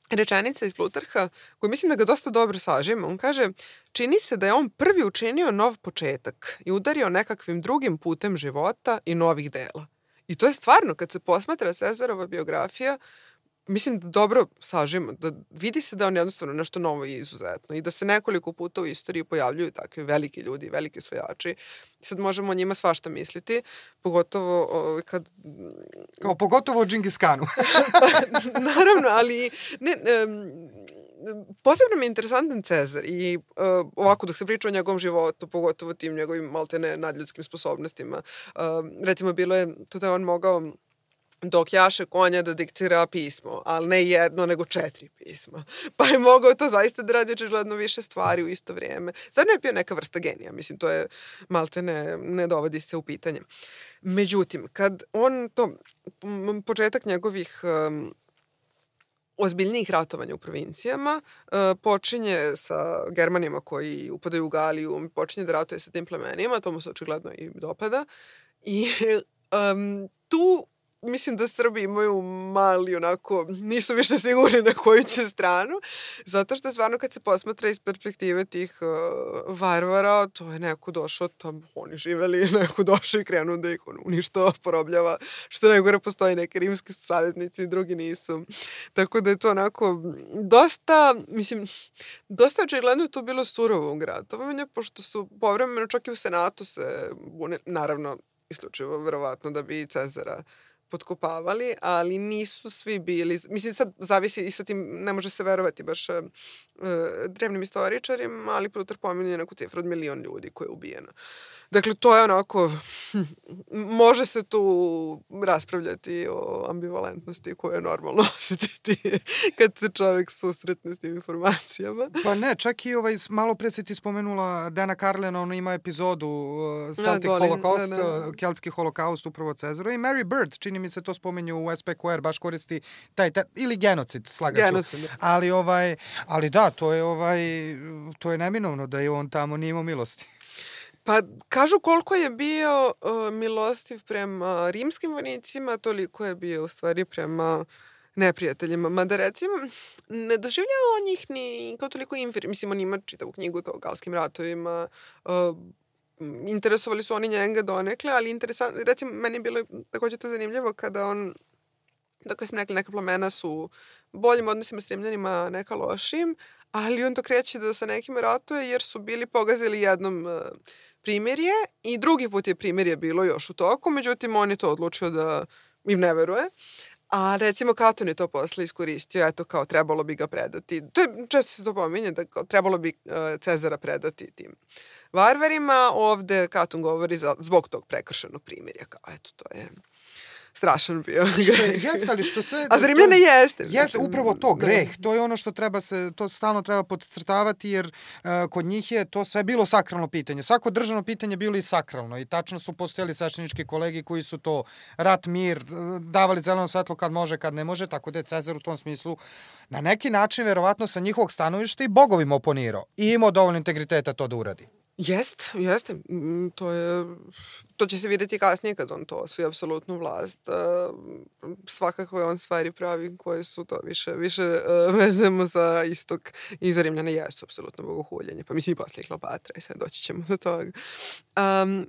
rečenica iz Plutarha, koju mislim da ga dosta dobro sažima. On kaže, čini se da je on prvi učinio nov početak i udario nekakvim drugim putem života i novih dela. I to je stvarno, kad se posmatra Cezarova biografija, mislim da dobro sažimo, da vidi se da on jednostavno nešto novo i izuzetno i da se nekoliko puta u istoriji pojavljuju takvi veliki ljudi, veliki osvajači. Sad možemo o njima svašta misliti, pogotovo kad... Pogotovo o Džingis Kanu. Naravno, ali posebno mi je interesantan Cezar i ovako dok se priča o njegovom životu, pogotovo tim njegovim maltene nadljudskim sposobnostima. Recimo, bilo je to da je on mogao dok jaše konja da diktira pismo, ali ne jedno, nego 4 pisma. Pa je mogao to zaista da radi očigledno više stvari u isto vrijeme. Zadnjo je bio neka vrsta genija, mislim, to je malte ne dovodi se u pitanje. Međutim, kad on to, početak njegovih ozbiljnijih ratovanja u provincijama, počinje sa Germanima koji upadaju u Galiju, počinje da ratuje sa tim plemenima, to mu se očigledno i dopada. I tu mislim da Srbi imaju mali onako, nisu više sigurni na koju će stranu, zato što stvarno kad se posmatra iz perspektive tih varvara, to je neko došao, tam oni živeli, neko došao i krenuo da ih uništava, porobljava, što najgore postoji neki rimski su saveznici i drugi nisu. Tako da je to onako dosta očigledno je to bilo surovo ratovanje, pošto su povremeno čak i u Senatu se, naravno, isključivo verovatno da bi Cezara potkopavali, ali nisu svi bili, mislim sad zavisi i sa tim, ne može se verovati baš drevnim istoričarima, ali Plutar pominje neku cifru od 1.000.000 ljudi koje je ubijeno. Dakle, to je onako, može se tu raspravljati o ambivalentnosti koju je normalno osjetiti kad se čovjek susretne s tim informacijama. Pa ne, čak i malo pre si ti spomenula Dana Carlina, on ima epizodu Celtic Holocaust, keltski holokaust upravo Cezaru, i Mary Bird, čini mi se to spominju u SPQR, baš koristi taj ili genocid, slagaću. Genocid. Ali da, to je neminovno da je on tamo nije imao milosti. Pa kažu koliko je bio milostiv prema rimskim vojnicima, toliko je bio u stvari prema neprijateljima. Mada recimo, ne doživljava on njih ni kao toliko inferiorno. Mislim, on ima čitavu knjigu o galskim ratovima, interesovali su oni njega donekle, ali recimo, meni je bilo također to zanimljivo kada on, dakle smo rekli, neka plemena su boljim odnosima s Rimljanima, neka lošim, ali on to kreće da sa nekim ratuje jer su bili pogazili jednom primirje i drugi put je primirje bilo još u toku, međutim on je to odlučio da im ne veruje. A recimo Katon je to posle iskoristio, eto kao trebalo bi ga predati. Često se to pominje, da trebalo bi Cezara predati tim varvarima. Ovde Katon govori zbog tog prekršenog primirja. Kao, eto, to je strašan bio greh. Jeste, ali što sve... A za Rimljane jeste. Jeste, upravo to, greh. To je ono što to stalno treba podcrtavati, jer kod njih je to sve bilo sakralno pitanje. Svako državno pitanje bilo i sakralno. I tačno su postojali sveštenički kolegi koji su to rat, mir, davali zeleno svetlo kad može, kad ne može, tako da je Cezar u tom smislu na neki način, verovatno sa njihovog stanovišta, i bogovima oponirao. I imao dovoljno integriteta to da uradi. Jeste. To će se vidjeti kasnije kad on to osvoji apsolutnu vlast. Svakako je on stvari pravi koje su to više vezemo za istok i za Rimljane jesu apsolutno bogohuljenje. Pa mislim i poslije Kleopatra i sve doći ćemo do toga.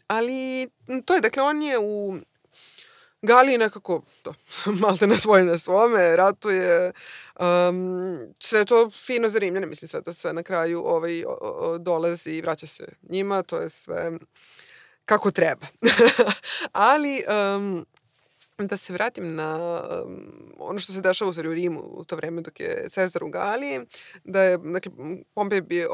Ali to je, dakle, on je u Galiji nekako malte na svome, ratuje, sve to fino za Rimljane, mislim sve da sve na kraju dolazi i vraća se njima, to je sve kako treba. Ali da se vratim na ono što se dešava u Rimu u to vreme dok je Cezar u Galiji, da je, dakle, Pompej bio,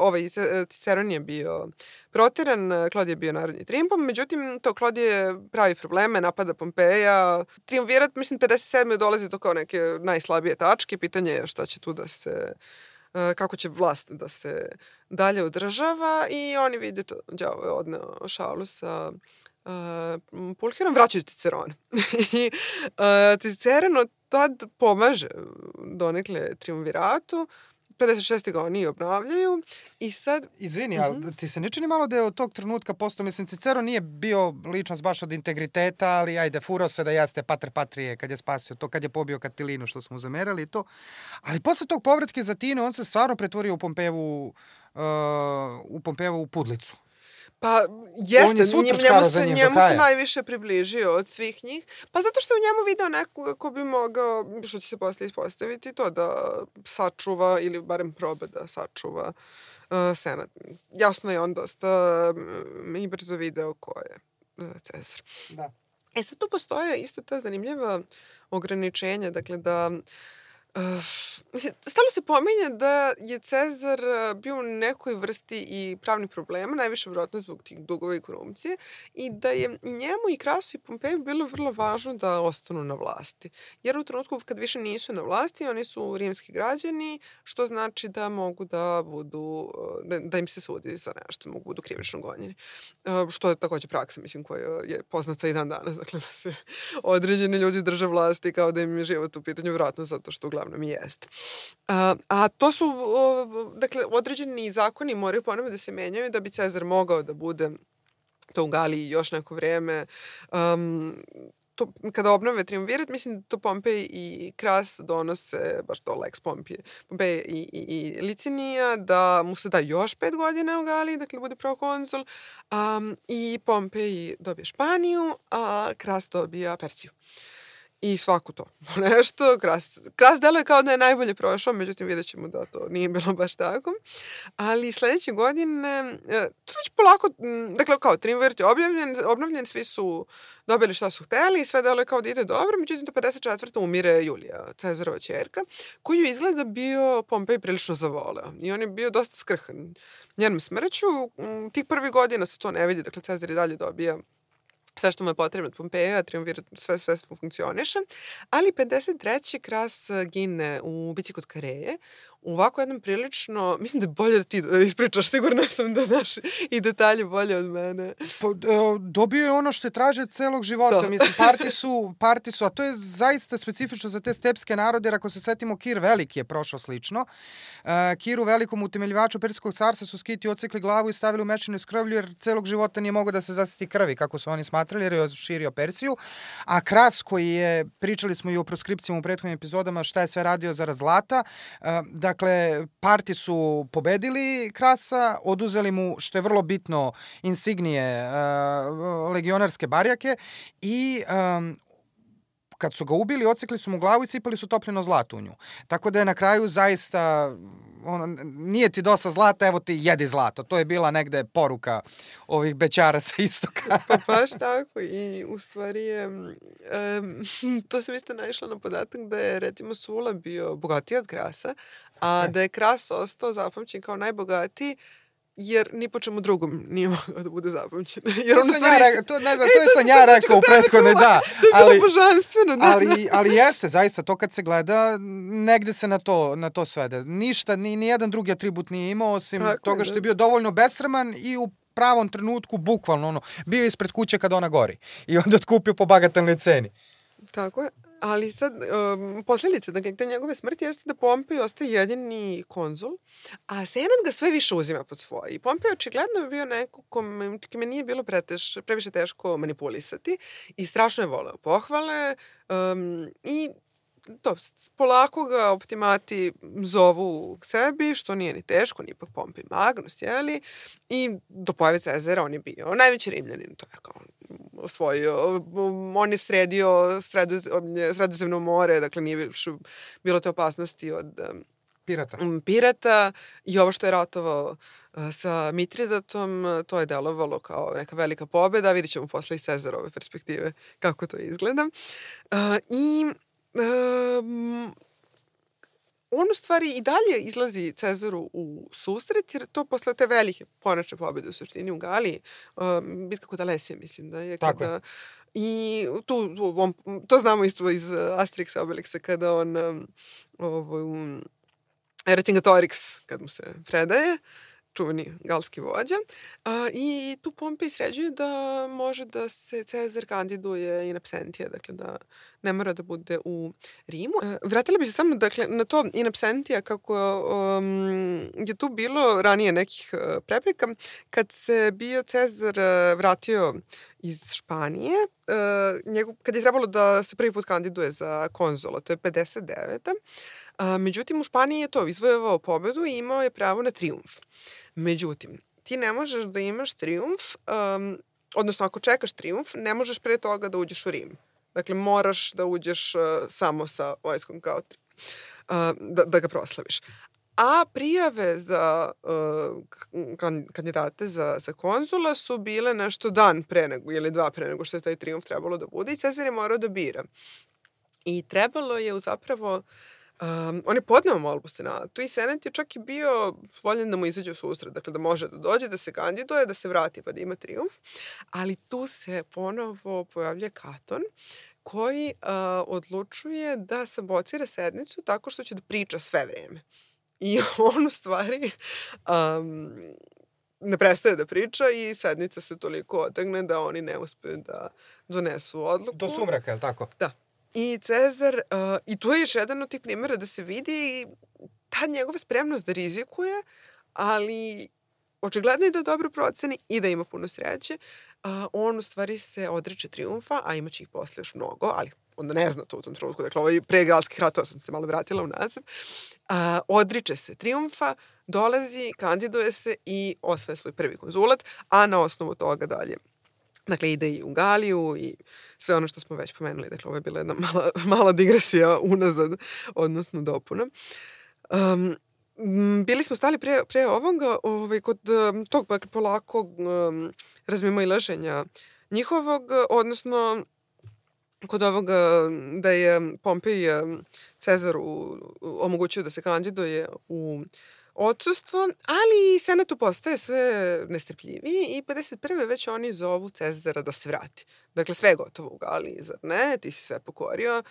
Ciceron je bio proteran, Klodije je bio narodni triumf, međutim, to Klodije pravi probleme, napada Pompeja. Triumvirat, mislim, 57. dolazi do kao neke najslabije tačke, pitanje je šta će tu da se, kako će vlast da se dalje održava, i oni vide to, đavo je odneo šalu sa Pulcherom, vraćaju Cicerona. I Ciceron od tad pomaže donekle triumviratu, 56. ga oni obnavljaju i sad... Izvini, ali ti se ne čini malo da je od tog trenutka postao, mislim, Ciceron nije bio ličnost baš od integriteta, ali ajde, furao se da jeste pater patrije kad je spasio to, kad je pobio Katilinu, što smo zamerali i to. Ali posle tog povratke za Tine, on se stvarno pretvorio u Pompejevu pudlicu. Pa jeste, njemu se najviše približio od svih njih. Pa zato što je u njemu video nekoga ko bi mogao, što će se posle ispostaviti, to da sačuva, ili barem proba da sačuva senat. Jasno je on dosta i brzo video ko je Cezar. Da. Sad tu postoje isto ta zanimljiva ograničenja, dakle da Stalno se pominje da je Cezar bio u nekoj vrsti i pravnih problema, najviše vjerojatno zbog tih dugova i korupcije, i da je i njemu i Krasu i Pompeju bilo vrlo važno da ostanu na vlasti. Jer u trenutku kad više nisu na vlasti, oni su rimski građani, što znači da mogu da budu, da im se sudi za nešto, mogu budu krivično gonjeni. Što je takođe praksa, mislim, koja je poznata i dan danas, dakle da se određeni ljudi drže vlasti kao da im je život u pitanju, vjerojatno zato što uglavnom i jeste. A to su, dakle, određeni zakoni moraju ponovno da se menjaju da bi Cezar mogao da bude to u Galiji još neko vreme. To, kada obnove triumvirat, mislim da to Pompej i Kras donose, baš to Lex Pompej i Licinija, da mu se da još 5 godina u Galiji, dakle bude prokonzul, i Pompej dobije Španiju, a Kras dobija Persiju. I svako to nešto. Kras deluje kao da je najbolje prošao, međutim vidjet ćemo da to nije bilo baš tako. Ali sledeće godine, to već polako, dakle kao triumvirat je obnovljen, svi su dobili šta su hteli i sve deluje kao da ide dobro, međutim do 54. umire Julija, Cezarova ćerka, koju izgleda bio Pompej prilično zavoleo. I on je bio dosta skrhan njenom smrću. Tih prvih godina se to ne vidi, dakle Cezar i dalje dobija sve što mu je potrebno od Pompeja, triumvirat, sve funkcioniše, ali 53. Kras gine u bici kod Kareje, u ovako jednom prilično, mislim da je bolje da ti ispričaš, sigurno sam da znaš i detalje bolje od mene. Dobio je ono što je traže celog života, to. Mislim, parti su, a to je zaista specifično za te stepske narode, jer ako se setimo, Kir Veliki je prošao slično. Kiru Velikom, utemeljivaču Persijskog carstva, su Skiti ocekli glavu i stavili u mečinu iz krvlju, jer celog života nije mogao da se zasiti krvi, kako su oni smatrali, jer je širio Persiju. A Kras, koji je, pričali smo i o proskripcijama u prethodnim epizodama, šta je sve radio zarad zlata, dakle, parti su pobedili Krasa, oduzeli mu, što je vrlo bitno, insignije legionarske barjake i kad su ga ubili, ocekli su mu glavu i sipali su topljeno zlato u nju. Tako da je na kraju zaista, nije ti dosta zlata, evo ti jedi zlato. To je bila negde poruka ovih bećara sa istoka. Pa baš tako i u stvari je, to sam isto naišla na podatak da je recimo Sula bio bogatiji od Krasa, a da je Kras ostao zapamćen kao najbogatiji jer ni po čemu drugom nije mogao da bude zapamćen. Jer to sam ja rekao u prethodne, da. To je bilo božanstveno. Da. Ali jeste, zaista, to kad se gleda, negde se na to svede. Ništa, ni jedan drugi atribut nije imao, osim toga što je bio dovoljno besraman i u pravom trenutku, bukvalno, bio ispred kuće kad ona gori. I onda otkupio po bagatelnoj ceni. Tako je. Ali sad, posljedice, dakle, te njegove smrti jeste da Pompej ostaje jedini konzul, a Senat ga sve više uzima pod svoje. I Pompej očigledno je bio neko kome nije bilo previše teško manipulisati i strašno je voleo pohvale i to, polako ga optimati zovu k sebi, što nije ni teško, ni ipak Pompej Magnus, jeli? I do pojave Cezara on je bio najveći Rimljanin, to je kao osvojio, on je sredio Sredozemno more, dakle nije bilo te opasnosti od pirata i ovo što je ratovao sa Mitridatom, to je delovalo kao neka velika pobeda, vidit ćemo posle iz Cezarove perspektive kako to izgleda. On u stvari i dalje izlazi Cezaru u susret, jer to posle te velike konačne pobjede u suštini u Galiji, bitka kod Alesije, mislim da je. Tako je. I to znamo isto iz Asteriksa Obelixa, kada on Vercingetorix, kad mu se predaje, čuveni galski vođa. I tu Pompej sređuje da može da se Cezar kandiduje in absentia, dakle da ne mora da bude u Rimu. Vratila bi se samo dakle, na to in absentia, kako je tu bilo ranije nekih prepreka. Kad se bio Cezar vratio iz Španije, kad je trebalo da se prvi put kandiduje za konzula, to je 59. Međutim, u Španiji je to izvojevao pobedu i imao je pravo na trijumf. Međutim, ti ne možeš da imaš trijumf, odnosno ako čekaš trijumf, ne možeš pre toga da uđeš u Rim. Dakle, moraš da uđeš samo sa vojskom kao da ga proslaviš. A prijave za kandidate za konzula su bile nešto dan pre nego, ili dva pre nego što je taj trijumf trebalo da bude i Cezar je morao da bira. I trebalo je zapravo On je podneo molbu Senatu i Senat je čak i bio voljen da mu izađe u susret, dakle da može da dođe, da se kandiduje, da se vrati pa da ima trijumf, ali tu se ponovo pojavlja Katon koji odlučuje da sabotira sednicu tako što će da priča sve vreme. I on u stvari ne prestaje da priča i sednica se toliko otegne da oni ne uspeju da donesu odluku. Do sumraka, je li tako? Da. I Cezar, i tu je još jedan od tih primjera da se vidi ta njegova spremnost da rizikuje, ali očigledno je da dobro proceni i da ima puno sreće. On u stvari se odreče trijumfa, a imaće ih posle još mnogo, ali onda ne zna to u tom trenutku. Dakle, ovo je pre Galskih ratova, sam se malo vratila unazad. Odriče se trijumfa, dolazi, kandiduje se i osvaja svoj prvi konzulat, a na osnovu toga dalje. Dakle, ide i u Galiju i sve ono što smo već pomenuli. Dakle, ovo je bila jedna mala digresija unazad, odnosno dopuna. Bili smo stali pre ovoga kod tog polakog razmimoilaženja njihovog, odnosno kod ovoga da je Pompej Cezaru omogućio da se kandiduje u odsustvo, ali Senatu postaje sve nestrpljiviji i 51. već oni zovu Cezara da se vrati. Dakle, sve je gotovo u Galiji, zar ne? Ti si sve pokorio.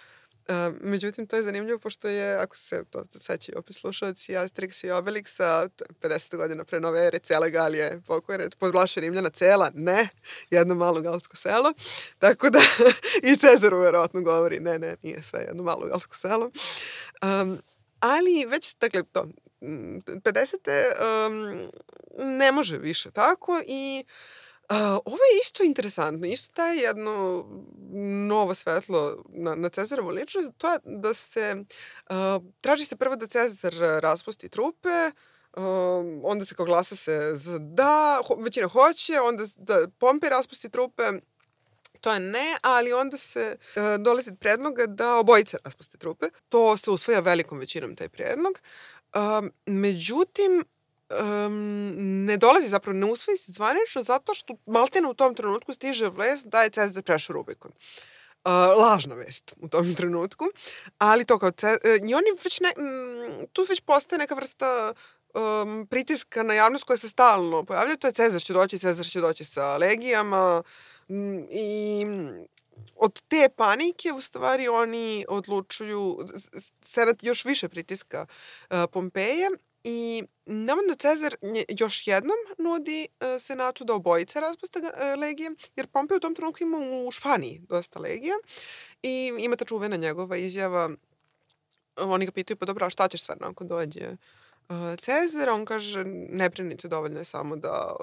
Međutim, to je zanimljivo, pošto je, ako se to sećaju opet slušalci, Asterix i Obelixa, 50 godina pre nove ere, cela Galija je pokorena, podvlaše Rimljana cela, ne, jedno malo galsko selo, tako da i Cezaru verovatno govori, ne, nije sve jedno malo galsko selo. Ali već, dakle, to, 50. Ne može više tako i ovo je isto interesantno, isto daje jedno novo svetlo na Cezarovu ličnost, to je da se, traži se prvo da Cezar raspusti trupe, onda se kao glasa se za da, većina hoće, onda da Pompej raspusti trupe, to je ne, ali onda se dolazi predloga da obojice raspuste trupe. To se usvaja velikom većinom taj predlog. Međutim, ne dolazi zapravo, ne usvoji se zvanično zato što maltene u tom trenutku stiže vest da je Cezar prešao Rubikon. Lažna vest u tom trenutku, ali to kao i oni već tu već postaje neka vrsta pritiska na javnost koja se stalno pojavlja, to je Cezar će doći sa legijama i od te panike u stvari oni odlučuju, Senat još više pritiska Pompeja i navodno Cezar još jednom nudi Senatu da obojice raspuste legije, jer Pompej u tom trenutku ima u Španiji dosta legija i ima ta čuvena njegova izjava, oni ga pitaju, pa dobro, a šta ćeš stvarno ako dođe Cezar? On kaže, ne brinite, dovoljno je samo da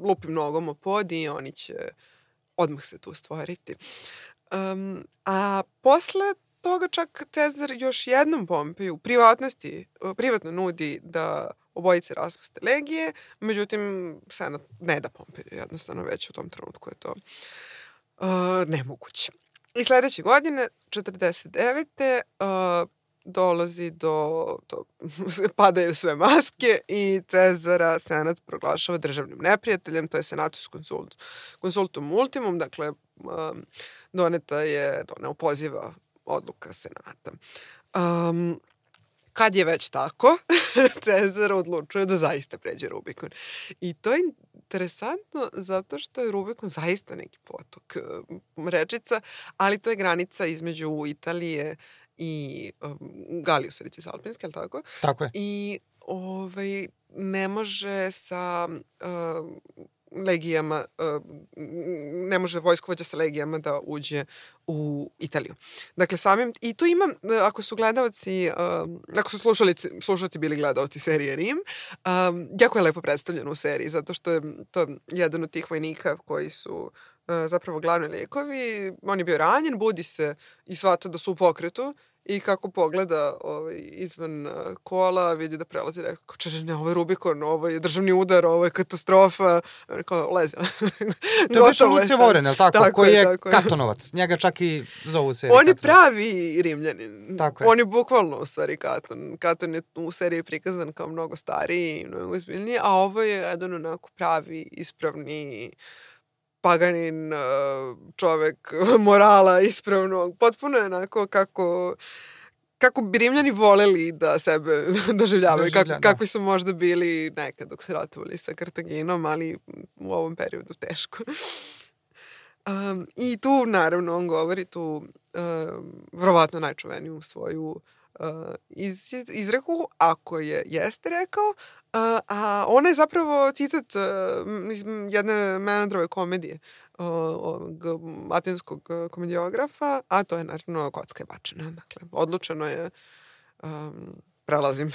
lupim nogom o pod i oni će odmah se tu stvoriti. A posle toga čak Cezar još jednom Pompeju privatno nudi da obojice raspuste legije, međutim Senat ne da Pompeju, jednostavno već u tom trenutku je to nemoguće. I sledeće godine, 49. Dolazi padaju sve maske i Cezara Senat proglašava državnim neprijateljem, to je Senatus Consultum Ultimum, dakle doneta je neopoziva odluka Senata. Kad je već tako, Cezar odlučuje da zaista pređe Rubikon. I to je interesantno zato što je Rubikon zaista neki potok rečica, ali to je granica između Italije i Galiju, sredice Alpinske, ali tako? Tako je. I ne može sa legijama, ne može vojskovođa sa legijama da uđe u Italiju. Dakle, i tu ima, ako su gledalci, ako su slušalci bili gledalci serije Rim, jako je lepo predstavljeno u seriji, zato što je to jedan od tih vojnika koji su zapravo glavni likovi. On je bio ranjen, budi se i shvata da su u pokretu i kako pogleda izvan kola, vidi da prelazi, rekao, ne, ovo je Rubikon, ovo je državni udar, ovo je katastrofa, kao, lezi. To je baš Lucija Voren, je li tako? Koji je Katonovac, njega čak i zovu u seriji. On je pravi Rimljanin. Tako je. On je bukvalno u stvari Katon. Katon je u seriji prikazan kao mnogo stariji i mnogo izbiljniji, a ovo je jedan onako pravi, ispravni paganin, čovek morala ispravnog. Potpuno je onako kako bi Rimljani voleli da sebe doživljavaju, kakvi su možda bili nekad dok se ratovali sa Kartaginom, ali u ovom periodu teško. I tu, naravno, on govori tu verovatno najčuveniju svoju izreku, ako jeste rekao, a ona je zapravo citat iz jedne Menandrove komedije ovog atinskog komediografa, a to je naravno Kocka je bačena. Dakle, odlučeno je, prelazim,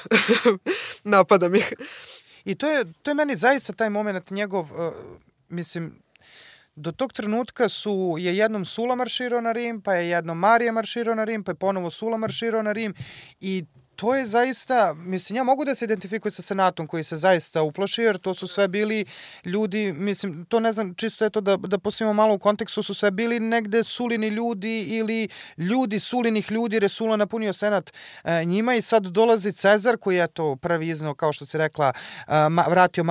napadam ih. I to je meni zaista taj moment njegov, mislim, do tog trenutka je jednom Sula marširao na Rim, pa je jednom Marija marširao na Rim, pa je ponovo Sula marširao na Rim i to je zaista, mislim, ja mogu da se identifikujem sa senatom koji se zaista uplaši, jer to su sve bili ljudi, mislim, to ne znam, čisto je to da postavimo malo u kontekstu, su sve bili negde Sulini ljudi ili ljudi Sulinih ljudi, jer je Sula napunio senat njima i sad dolazi Cezar koji je to prvi iznao, kao što si rekla, vratio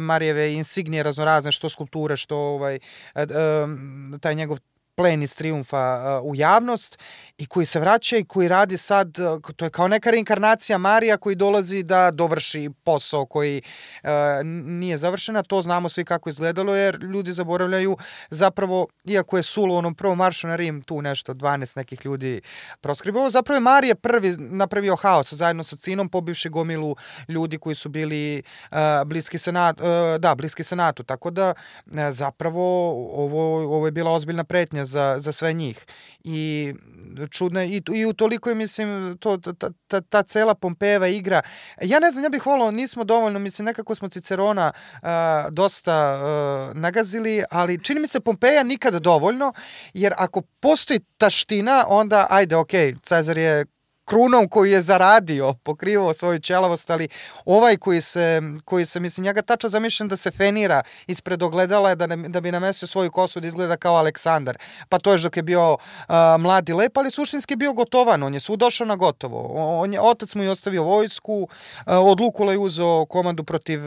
Marijeve insignije raznorazne, što skulpture, što taj njegov plen iz trijumfa u javnost i koji se vraća i koji radi sad, to je kao neka reinkarnacija Marija koji dolazi da dovrši posao koji nije završena. To znamo svi kako izgledalo, jer ljudi zaboravljaju zapravo, iako je Sula u onom prvom maršu na Rim tu nešto 12 nekih ljudi proskribovao, zapravo je Marija prvi napravio haos zajedno sa Cinom, pobivši gomilu ljudi koji su bili bliski senatu, tako da zapravo ovo je bila ozbiljna pretnja za sve njih. I čudno je, i utoliko je, mislim, ta cela Pompejeva igra. Ja ne znam, ja bih volao, nismo dovoljno, mislim, nekako smo Cicerona dosta nagazili, ali čini mi se Pompeja nikad dovoljno, jer ako postoji taština, onda, ajde, okej, Cezar je krunom koju je zaradio, pokrivao svoju ćelavost, ali ovaj koji se, mislim, njega tačno zamišljam da se fenira ispred ogledala da bi namestio svoju kosu da izgleda kao Aleksandar. Pa to je dok je bio mlad i lep, ali suštinski bio gotovan. On je svu došao na gotovo. Otac mu je ostavio vojsku, od Lukula je uzeo komandu protiv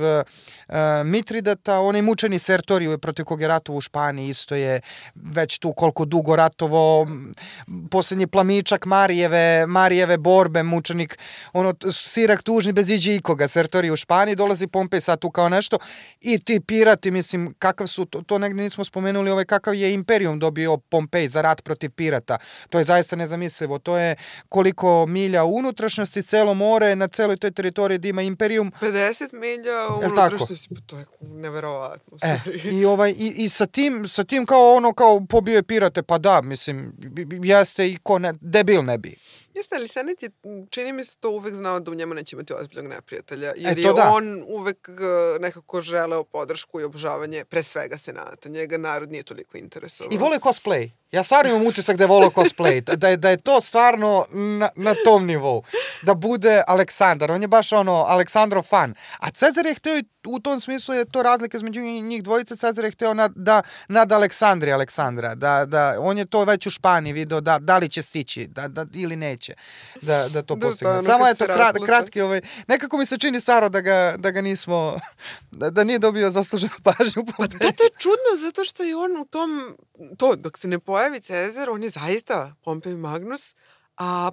Mitridata, onaj mučeni Sertoriju protiv kog je ratovo u Španiji, isto je već tu koliko dugo ratovo, posljednji plamičak Marijeve borbe, mučenik, Sirak tužni bez iđe ikoga, Sertorij u Španiji, dolazi Pompej sad tu kao nešto i ti pirati, mislim, kakav su, to negdje nismo spomenuli, kakav je imperijum dobio Pompej za rat protiv pirata. To je zaista nezamislivo. To je koliko milja u unutrašnjosti, celo more, na celoj toj teritoriji da ima imperijum. 50 milja u unutrašnjosti, to je neverovatno. I sa tim kao pobio je pirate, pa da, mislim, jeste i debil ne bi. Jeste, ali Senet je, čini mi se to uvek znao da u njemu neće imati ozbiljnog neprijatelja, jer je on uvek nekako želeo podršku i obožavanje pre svega Senata. Njega narod nije toliko interesovao. I vole cosplay. Ja stvarno imam utisak da je volao cosplay, da je to stvarno na tom nivou. Da bude Aleksandar, on je baš Aleksandrov fan. A Cezar je hteo, u tom smislu je to razlika između njih dvojice, Cezar je hteo nad Aleksandra, da on je to već u Španiji video, da li će stići, da ili neće da to postigne. Samo je to kratki, nekako mi se čini staro da ga nismo, da nije dobio zasluženu pažnju. Pa da, to je čudno, zato što je on u tom, dok se ne pojavi Cezar, on je zaista Pompej Magnus, a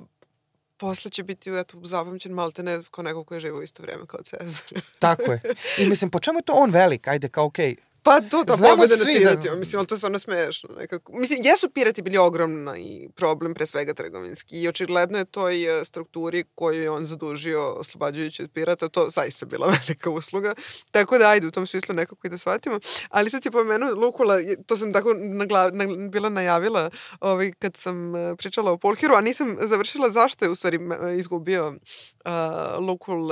posle će biti zapamćen maltene kao neko koji je živo u isto vrijeme kao Cezar. Tako je. I mislim, po čemu je to on velik? Ajde, kao okej. Pa to pobjede nad piratima. Mislim, ali to je stvarno smešno. Nekako. Mislim, jesu pirati bili ogromni problem, pre svega trgovinski. I očigledno je toj strukturi koju je on zadužio oslobađajući od pirata, to zaista bila velika usluga. Tako da, ajde, u tom smislu nekako i da shvatimo. Ali sad si pomenuo Lukula, to sam tako bila najavila kad sam pričala o Pulhiru, a nisam završila zašto je u stvari izgubio Lukul,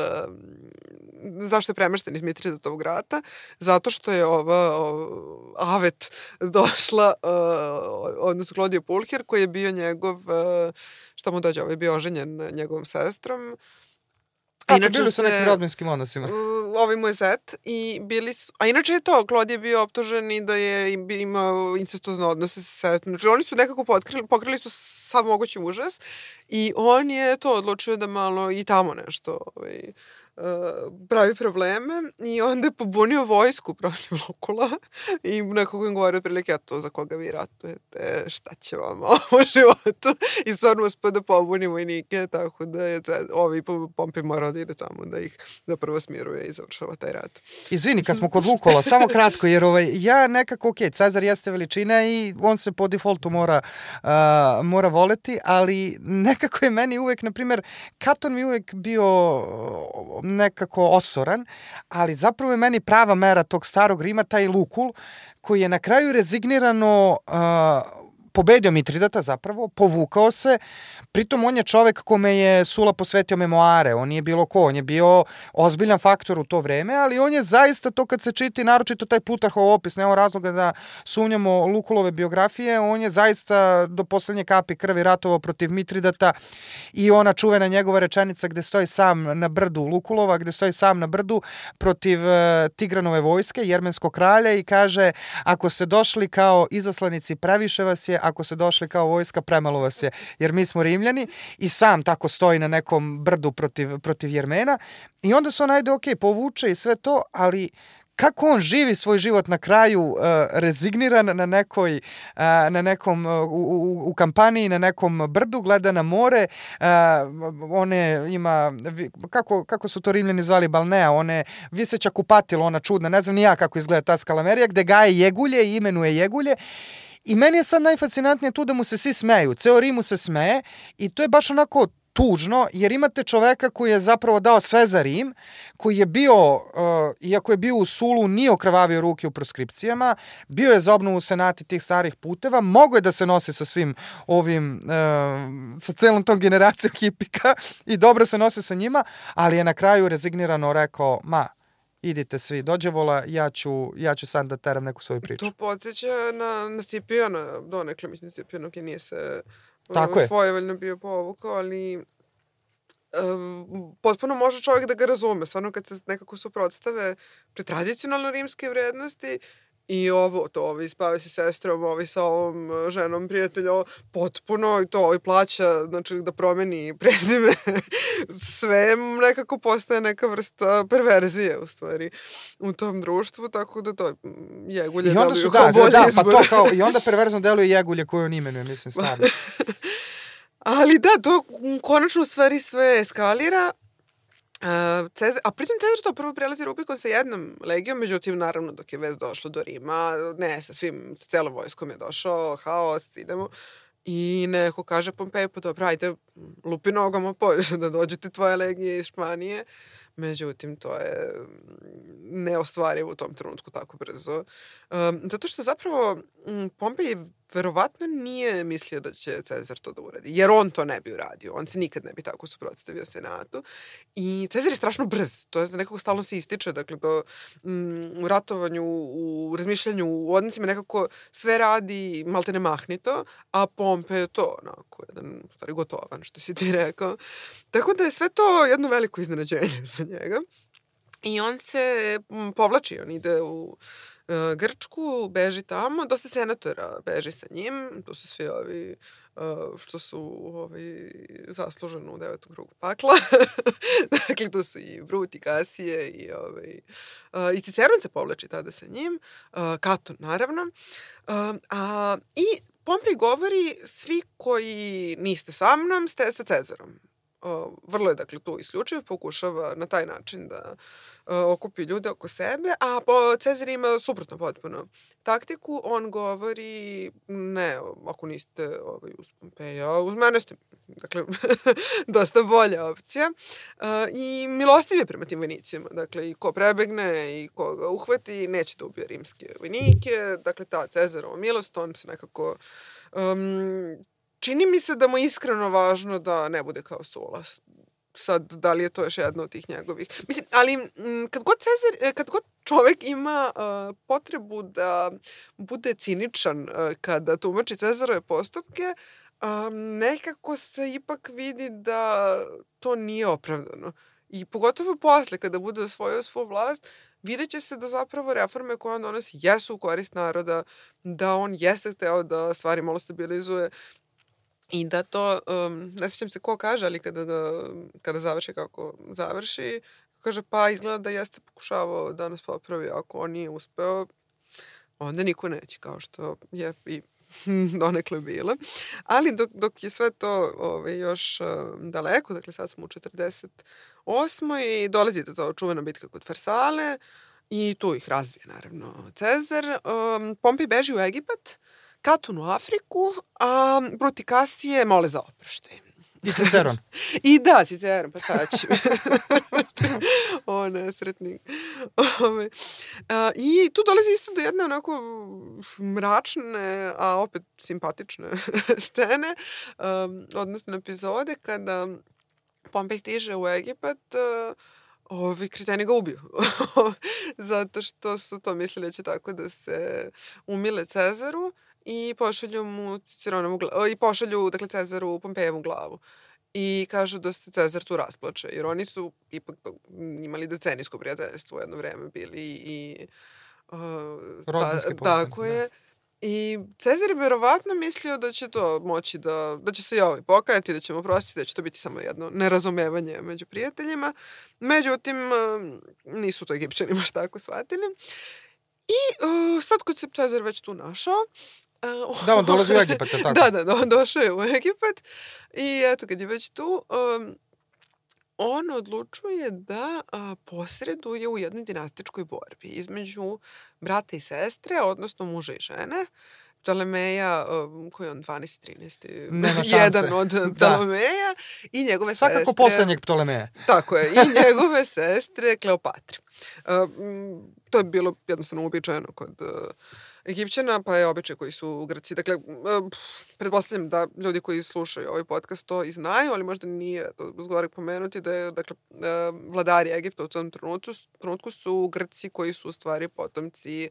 zašto je premešten iz Mitridatovog rata, zato što je Avet došla, odnosno Klodija Pulhir, koji je bio njegov, šta mu dođe, je bio oženjen njegovom sestrom. Bili su nekim rodbinskim odnosima. Ovaj mu je zet i bili su, a inače je to, Klodije je bio optužen i da je imao incestozne odnose sa sestrom. Znači oni su nekako pokrili su sav mogući užas i on je to odlučio da malo i tamo nešto pravi probleme i onda je pobunio vojsku protiv Lukula i nekako im govori otprilike, a to za koga vi ratujete, šta će vam u životu, i stvarno uspio da pobuni vojnike, tako da je Pompej morao da ide tamo da ih zapravo smiruje i završava taj rat. Izvini, kad smo kod Lukula, samo kratko, jer ja nekako, Cezar jeste veličina i on se po defaultu mora voleti, ali nekako je meni uvek, na primjer, Katon mi uvek bio nekako osoran, ali zapravo je meni prava mera tog starog Rima, taj Lukul, koji je na kraju rezignirano pobedio Mitridata zapravo, povukao se, pritom on je čovek kome je Sula posvetio memoare, on nije bilo ko, on je bio ozbiljan faktor u to vreme, ali on je zaista to kad se čiti, naročito taj Plutarhov opis, nema razloga da sumnjamo Lukulove biografije, on je zaista do poslednje kapi krvi ratovao protiv Mitridata i ona čuvena njegova rečenica gde stoji sam na brdu Lukulova, gde stoji sam na brdu protiv Tigranove vojske, jermenskog kralja, i kaže, ako ste došli kao izaslanici, previše vas je, ako se došli kao vojska, premalo vas je, jer mi smo Rimljani, i sam tako stoji na nekom brdu protiv Jermena, i onda se on povuče i sve to, ali kako on živi svoj život na kraju, rezigniran na nekom, u kampaniji, na nekom brdu, gleda na more, one ima, kako su to Rimljani zvali, balnea, one viseća kupatilo, ona čudna, ne znam ni ja kako izgleda ta skalamerija, gde gaje jegulje i imenuje jegulje. I meni je sad najfascinantnije tu da mu se svi smeju, ceo Rim mu se smeje, i to je baš onako tužno, jer imate čoveka koji je zapravo dao sve za Rim, koji je bio, iako je bio u Sulu, nije okrvavio ruke u proskripcijama, bio je za obnovu senati tih starih puteva, mogo je da se nosi sa svim ovim, sa celom tom generacijom hipika i dobro se nosi sa njima, ali je na kraju rezignirano rekao, idite svi dođevola, ja ću sad da teram neku svoju priču. To podsjeća na Scipijana, donekle, mislim, Scipijana, koji nije se svojevoljno bio povukao, ali potpuno može čovjek da ga razume. Stvarno, kad se nekako suprotstave pre tradicionalno rimske vrednosti i ovi spave sa sestrom, ovi sa ovom ženom prijatelja, potpuno, i to plaća, znači da promeni prezime, sve nekako postaje neka vrsta perverzije, u stvari, u tom društvu, tako da to jegulje deluju kao bolji izbor. I onda perverzno deluje jegulje koje on imenuje, mislim, stvarno. Ali da, to konačno u stvari sve eskalira. A pritom Cezar to prvo prelazi Rubikon sa jednom legijom, međutim, naravno, dok je već došlo do Rima, sa celom vojskom je došao, haos, idemo, i neko kaže Pompeju, pa dobro, ajde, lupi nogama da dođete tvoje legije iz Španije. Međutim, to je neostvarivo u tom trenutku tako brzo. Zato što zapravo Pompej verovatno nije mislio da će Cezar to da uradi, jer on to ne bi uradio. On se nikad ne bi tako suprotstavio senatu. I Cezar je strašno brz. To je nekako stalno se ističe. Dakle, u ratovanju, u razmišljanju, u odnosima nekako sve radi maltene mahnito, a Pompej je to onako jedan stvari gotovan, što si ti rekao. Tako da je sve to jedno veliko iznenađenje za njega. I on se povlači, on ide u Grčku, beži tamo, dosta senatora beži sa njim, to su svi ovi što su zasluženo u 9. krugu pakla. Dakle, tu su i Brut i Kasije i Ciceron se povlači tada sa njim, Katon naravno. I Pompej govori, svi koji niste sa mnom, ste sa Cezarom. Vrlo je, dakle, tu isključivo, pokušava na taj način da okupi ljude oko sebe, a Cezar ima suprotno potpuno taktiku. On govori, ne, ako niste uz Pompeja, uz mene ste, dakle, dosta bolja opcija. I milostiv je prema tim vojnicima, dakle, i ko prebegne i ko ga uhvati, neće da ubije rimske vojnike, dakle, ta Cezarova milost, on se nekako čini mi se da mu iskreno važno da ne bude kao Sula. Sad, da li je to još jedno od tih njegovih? Mislim, ali kad god čovek ima potrebu da bude ciničan kada tumači Cezarove postupke, nekako se ipak vidi da to nije opravdano. I pogotovo posle, kada bude osvojio svoju vlast, vidjet će se da zapravo reforme koje on donosi jesu u korist naroda, da on jeste hteo da stvari malo stabilizuje, i da to, ne sjećam se ko kaže, ali kada završi kako završi, kaže, pa izgleda da jeste pokušavao da nas popravi, ako on nije uspeo, onda niko neće, kao što je i donekle bilo. Ali dok je sve to još daleko, dakle sad smo u 48. i dolazi do to čuvena bitka kod Farsale i tu ih razvije naravno Cezar. Pompej beži u Egipat, Katun u Afriku, a Bruti Kasije mole za oproštaj. I Ciceron. I da, Ciceron, pa šta će. O, nesretnik. I tu dolazi isto do jedne onako mračne, a opet simpatične scene, odnosno epizode kada Pompej stiže u Egipat, ovi kreteni ga ubiju. Zato što su to mislili da će tako da se umile Cezaru i pošalju mu Ciceronovu glavu, i pošalju, dakle, Cezaru Pompejevu glavu. I kažu da se Cezar tu rasplače, jer oni su ipak imali decenijsko prijateljstvo u jedno vreme bili i rodbinski tako je. I Cezar je verovatno mislio da će to moći da će se i ovaj pokajati, da će mu oprostiti, da će to biti samo jedno nerazumevanje među prijateljima. Međutim, nisu to Egipćani baš tako shvatili. I sad kad se Cezar već tu našao, da, on dolazi u Egipat, je tako? Da, on došao je u Egipat i eto, kad je već tu, on odlučuje da posreduje u jednoj dinastičkoj borbi između brata i sestre, odnosno muža i žene. Ptolemeja, koji je on 12. 13. Nema šanse. Jedan od Ptolemeja i njegove sestre. Svakako poslednjeg Ptolemeja. Tako je, i njegove sestre Kleopatre. To je bilo jednostavno uobičajeno kod Egipćana, pa je običaj koji su Grci. Dakle, pretpostavljam da ljudi koji slušaju ovaj podcast to i znaju, ali možda nije zgorek pomenuti da je, dakle, vladari Egipta u tom trenutku su Grci koji su u stvari potomci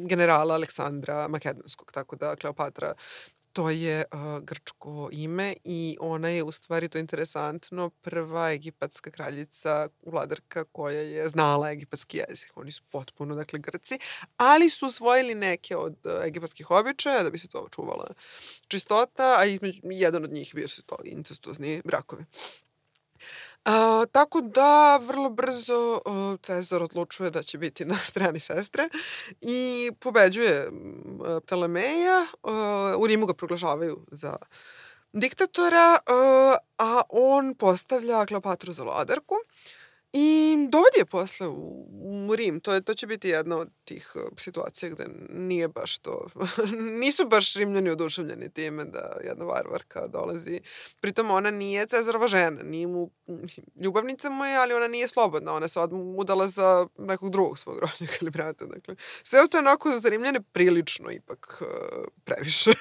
generala Aleksandra Makedonskog. Tako da Kleopatra, to je grčko ime i ona je u stvari, to je interesantno, prva egipatska kraljica, vladarka koja je znala egipatski jezik. Oni su potpuno, dakle, Grci, ali su usvojili neke od egipatskih običaja da bi se to očuvala čistota, a jedan od njih bio su to incestuozni brakovi. Tako da vrlo brzo Cezar odlučuje da će biti na strani sestre i pobeđuje Ptolemeja. U Rimu ga proglašavaju za diktatora, a on postavlja Kleopatru za vladarku i dovodi je posle u Rim. To će biti jedna od tih situacija gde nije baš to, nisu baš Rimljani oduševljeni time da jedna varvarka dolazi. Pritom ona nije Cezarova žena, nije mu, mislim, ljubavnica mu je, ali ona nije slobodna. Ona se udala za nekog drugog svog rođaka ili brata. Dakle, sve to je onako za Rimljane prilično ipak previše.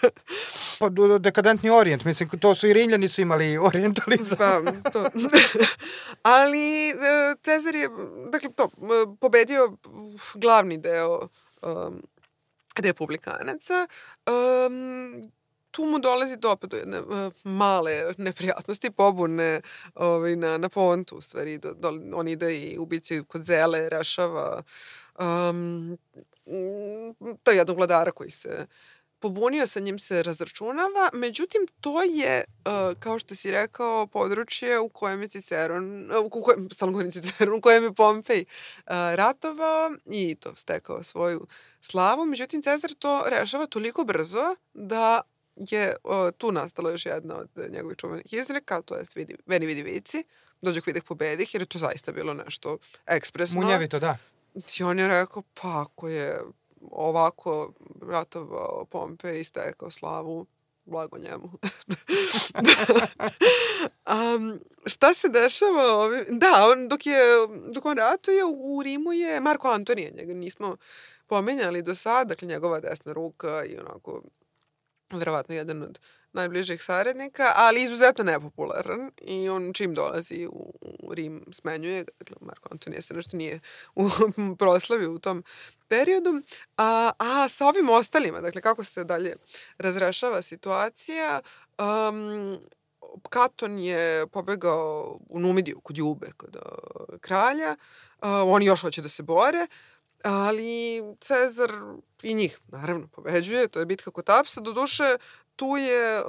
Pa dekadentni orijent, mislim, to su i Rimljani su imali orijentalizam. Pa, to. Ali Cezar je, dakle, pobedio glavni deo republikanaca. Tu mu dolazi do jedne male neprijatnosti, pobune na Pontu, u stvari. On ide i ubici kod Zele, rešava to je jednog vladara koji se pobunio, sa njim se razračunava, međutim, to je, kao što si rekao, područje u kojem je Ciceron, u kojem je Pompej ratovao i to stekao svoju slavu. Međutim, Cezar to rešava toliko brzo da je tu nastala još jedna od njegovih čuvenih izreka, to je veni vidi vici, dođe videh pobedih, jer je to zaista bilo nešto ekspresno. Munjevito, da. I on je rekao, pa ako je ovako ratovao Pompej i stekao slavu, blago njemu. Šta se dešava? Da, dok on ratuje, u Rimu je Marko Antonije, njega nismo pomenjali do sada, dakle njegova desna ruka i onako verovatno jedan od najbližih saradnika, ali izuzetno nepopularan i on čim dolazi u Rim smenjuje ga. Dakle, Marko Antonije se nešto nije proslavio u tom periodu. A sa ovim ostalima, dakle, kako se dalje razrešava situacija, Katon je pobegao u Numidiju kod Jube, kod kralja. Oni još hoće da se bore, ali Cezar i njih, naravno, pobeđuje. To je bitka kod Apsa. Doduše, tu je,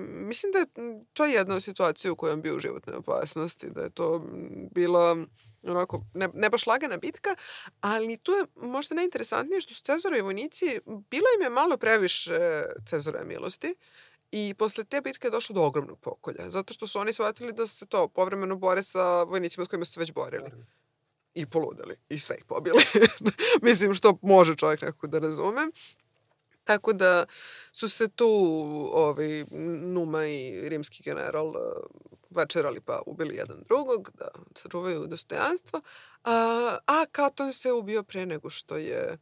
mislim da je to jedna situacija u kojoj on bio u životnoj opasnosti, da je to bila onako, ne baš lagana bitka, ali tu je možda najinteresantnije što su Cezorovi vojnici, bilo im je malo previše Cezarove milosti i posle te bitke je došlo do ogromnog pokolja, zato što su oni shvatili da se to povremeno bore sa vojnicima s kojima su se već borili. I poludeli, i sve ih pobili. Mislim, što može čovjek nekako da razume. Tako da su se tu Numa i rimski general večerali pa ubili jedan drugog, da sačuvaju dostojanstvo. A Katon se ubio pre nego što je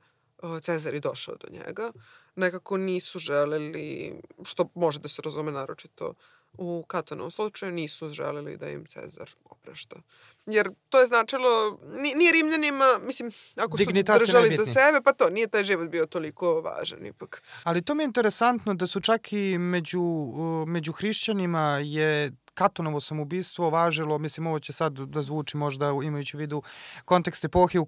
Cezar i došao do njega. Nekako nisu želeli, što može da se razume naročito u Katonovom slučaju, nisu želeli da im Cezar oprašta. Jer to je značilo, nije Rimljanima, mislim, ako su držali do sebe, pa to, nije taj život bio toliko važan ipak. Ali to mi je interesantno da su čak i među hrišćanima je Katonovo samoubistvo važilo, mislim, ovo će sad da zvuči možda imajući u vidu kontekst epohe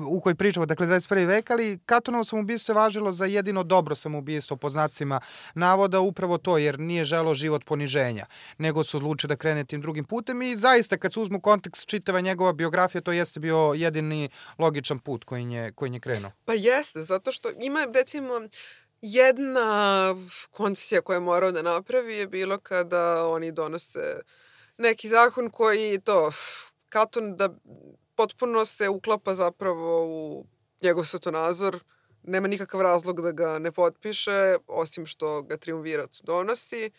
u kojoj pričamo, dakle 21. vek, ali Katonovo samoubistvo je važilo za jedino dobro samoubistvo, pod znacima navoda, upravo to, jer nije želeo život poniženja, nego su odlučili da krene tim drugim putem i zaista kad se uzmu kontekst čitava njegova biografija, to jeste bio jedini logičan put koji je krenuo. Pa jeste, zato što ima, recimo, jedna koncesija koju je morao da napravi je bilo kada oni donose neki zakon koji Katon da potpuno se uklapa zapravo u njegov svetonazor, nema nikakav razlog da ga ne potpiše, osim što ga triumvirat donosi.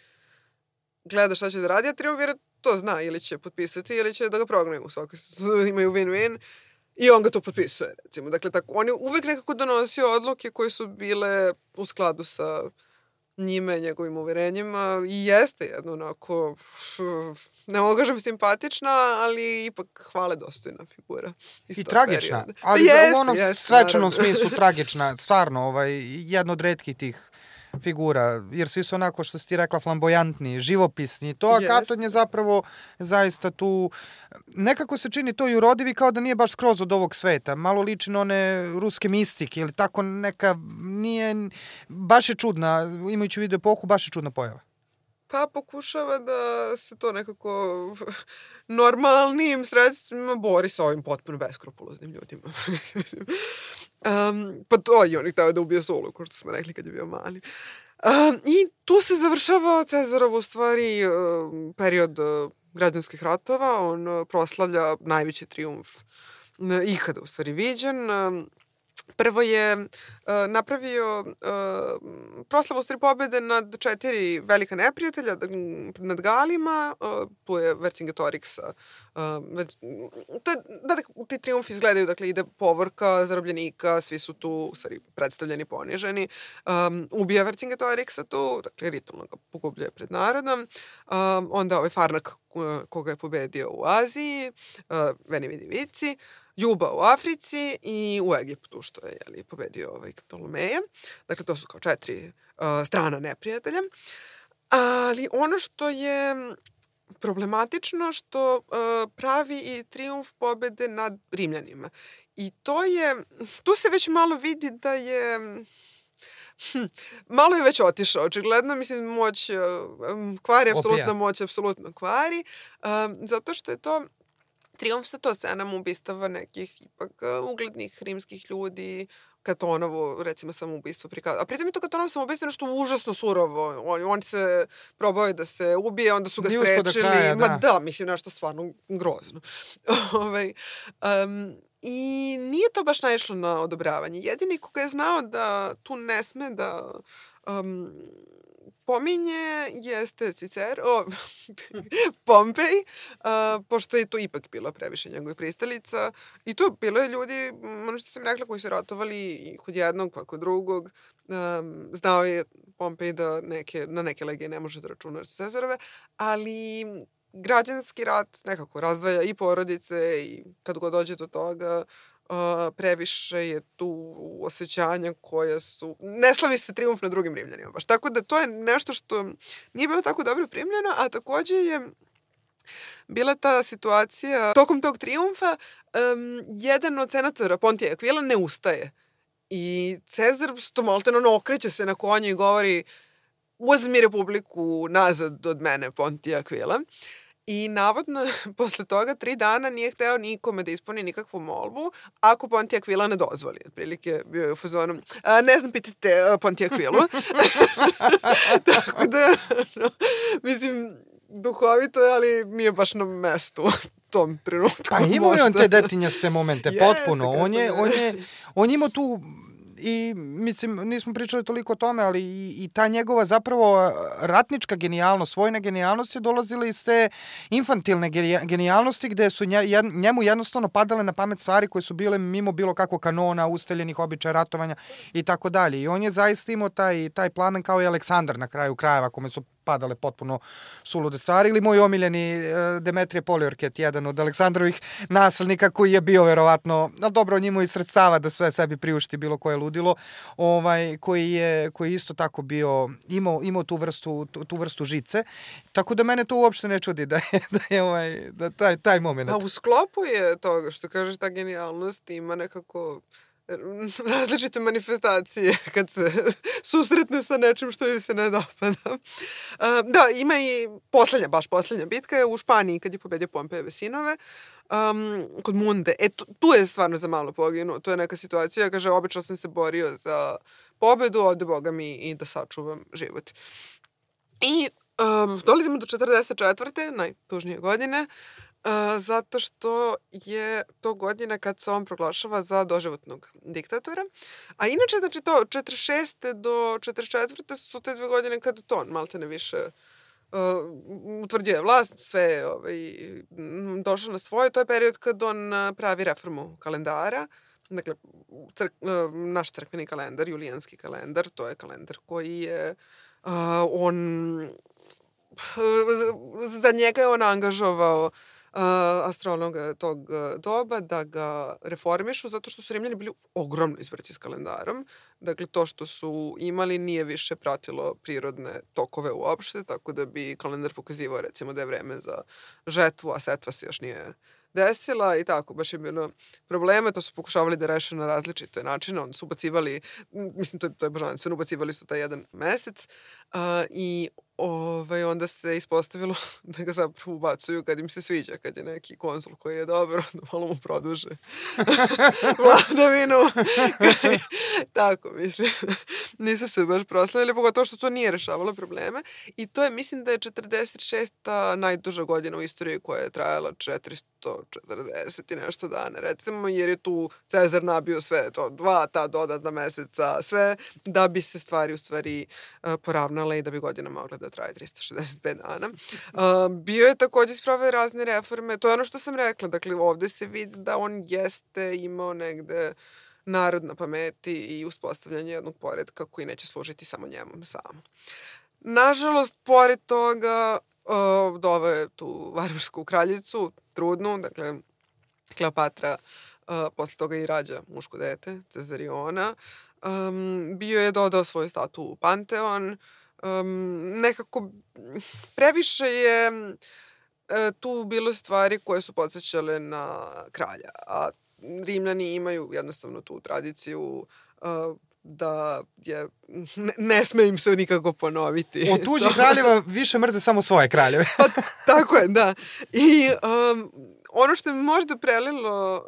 Gleda šta će da radi, a triumvirat to zna, ili će potpisati, ili će da ga prognaju. U svakoj imaju win-win. I on ga to potpisuje, recimo. Dakle, tako, on je uvek nekako donosio odluke koje su bile u skladu sa njime, njegovim uverenjima i jeste jedno onako, ne mogu kažem simpatična, ali ipak hvale dostojna figura. I tragična, perioda. Ali u onom svečanom smislu tragična, stvarno, jedna od retkih tih figura, jer svi su onako, što si ti rekla, flamboyantni, živopisni, a Katon je zapravo zaista tu, nekako se čini to i urodivi kao da nije baš skroz od ovog sveta, malo liči na one ruske mistike ili tako neka, nije, baš je čudna, imajući u vidu epohu, baš je čudna pojava. Pa pokušava da se to nekako normalnim sredstvima bori sa ovim potpuno beskrupuloznim ljudima. Pa to i on ih htio da ubije Sulu, kao što smo rekli kad je bio mali. I tu se završava Cezarov u stvari period građanskih ratova. On proslavlja najveći trijumf ikada u stvari viđen. Prvo je napravio proslavu stvari pobjede nad 4 velika neprijatelja, nad Galima, tu je Vercingetorix. Ti triumfi izgledaju, dakle, ide povorka zarobljenika, svi su tu stvari predstavljeni, poniženi. Ubija Vercingetorixa tu, dakle, ritualno ga pogubljuje pred narodom. Onda Farnak koga je pobedio u Aziji, Veni Vidi Vici, Juba u Africi i u Egiptu, što je pobedio Ptolomeja. Dakle, to su kao 4 strana neprijatelja. Ali ono što je problematično, što pravi i trijumf pobede nad Rimljanima. I tu se već malo vidi da je malo je već otišao, očigledno, mislim, moć kvari, apsolutna moć, apsolutno kvari, zato što je to trijumf sa to scenama ubistava nekih ipak uglednih rimskih ljudi, Katonovo, recimo, samoubistvo prikazano. A pritom je to Katonovo samoubistvo nešto užasno surovo. On se probao da se ubije, onda su ga sprečili. Mislim, nešto stvarno grozno. I nije to baš naišlo na odobravanje. Jedini koga je znao da tu ne sme da pominje jeste Pompej, pošto je to ipak bilo previše njegovih pristalica. I to bilo je ljudi, ono što sam rekla, koji su ratovali i kod jednog pa kod drugog. Znao je Pompej da na neke legije ne može da računa što Cezarove, ali građanski rat nekako razdvaja i porodice i kad god dođe do toga, previše je tu osjećanja koja su... Ne slavi se trijumf na drugim Rimljanima baš. Tako da to je nešto što nije bilo tako dobro primljeno, a takođe je bila ta situacija tokom tog trijumfa, jedan od senatora, Pontije Akvila, ne ustaje. I Cezar stomalteno okreće se na konju i govori: uzmi republiku nazad od mene, Pontije Aquila. I navodno, posle toga 3 dana nije hteo nikome da ispuni nikakvu molbu, ako Pontije Aquila ne dozvoli. Otprilike bio je u fazonu, ne znam, pitajte Pontije Aquilu. Tako da, no, mislim, duhovito je, ali nije baš na mestu u tom trenutku. Pa imao je on te detinjaste momente, potpuno. On imao tu... I, mislim, nismo pričali toliko o tome, ali i ta njegova zapravo ratnička genijalnost, vojna genijalnost je dolazila iz te infantilne genijalnosti gde su njemu jednostavno padale na pamet stvari koje su bile mimo bilo kakvog kanona, ustaljenih običaja ratovanja i tako dalje. I on je zaista imao taj plamen kao i Aleksandar na kraju krajeva, kome su padale potpuno sulude stvari, ili moj omiljeni Demetrije Poliorket, jedan od Aleksandrovih naslednika koji je bio verovatno, ali dobro, on imao i sredstava da sve sebi priušti bilo koje ludilo, koji je isto tako bio, imao tu vrstu žice, tako da mene to uopšte ne čudi da je taj moment. A u sklopu je toga što kažeš, ta genijalnost ima nekako različite manifestacije kad se susretne sa nečim što joj se ne dopada. Da, ima i poslednja bitka je u Španiji kad je pobedio Pompejeve sinove, kod Munde. Tu je stvarno za malo poginuo. To je neka situacija, kaže, obično sam se borio za pobedu, ovde Boga mi i da sačuvam život. I dolazimo do 44. najtužnije godine, zato što je to godina kad se on proglašava za doživotnog diktatora. A inače, znači to 46. do 44. su te 2 godine kad to on maltene više utvrđuje vlast, sve je došao na svoje. To je period kad on pravi reformu kalendara. Dakle, naš crkveni kalendar, julijanski kalendar, to je kalendar koji je za njega je on angažovao astrologa tog doba da ga reformišu, zato što su Rimljani bili ogromno izbrci s kalendarom. Dakle, to što su imali nije više pratilo prirodne tokove uopšte, tako da bi kalendar pokazivao, recimo, da je vreme za žetvu, a setva se još nije desila i tako, baš je bilo probleme. To su pokušavali da reše na različite načine. Onda su ubacivali, mislim, to je božanstveno, ubacivali su taj jedan mesec i onda se ispostavilo da ga zapravo ubacuju kad im se sviđa, kad je neki konzul koji je dobro, da malo mu produže vladavinu. Tako, mislim. Nisu se baš proslavili, pogotovo što to nije rešavalo probleme. I to je, mislim da je 46. najduža godina u istoriji koja je trajala 440 i nešto dana, recimo, jer je tu Cezar nabio sve to, 2 ta dodatna meseca, sve, da bi se stvari u stvari poravnale i da bi godina mogla da traje 365 dana. Bio je takođe sproveo razne reforme, to je ono što sam rekla, dakle, ovde se vidi da on jeste imao negde narod na pameti i uspostavljanje jednog poretka koji neće služiti samo njemu samo. Nažalost, pored toga, doveo je tu varvarsku kraljicu, trudnu, dakle, Kleopatra, posle toga i rađa muško dete, Cezariona. Bio je dodao svoju statu u Panteon. Nekako previše je tu bilo stvari koje su podsjećale na kralja, a Rimljani imaju jednostavno tu tradiciju da je, ne sme im se nikako ponoviti. Od tuđih kraljeva više mrze samo svoje kraljeve. Pa, tako je, da. I ono što je možda prelilo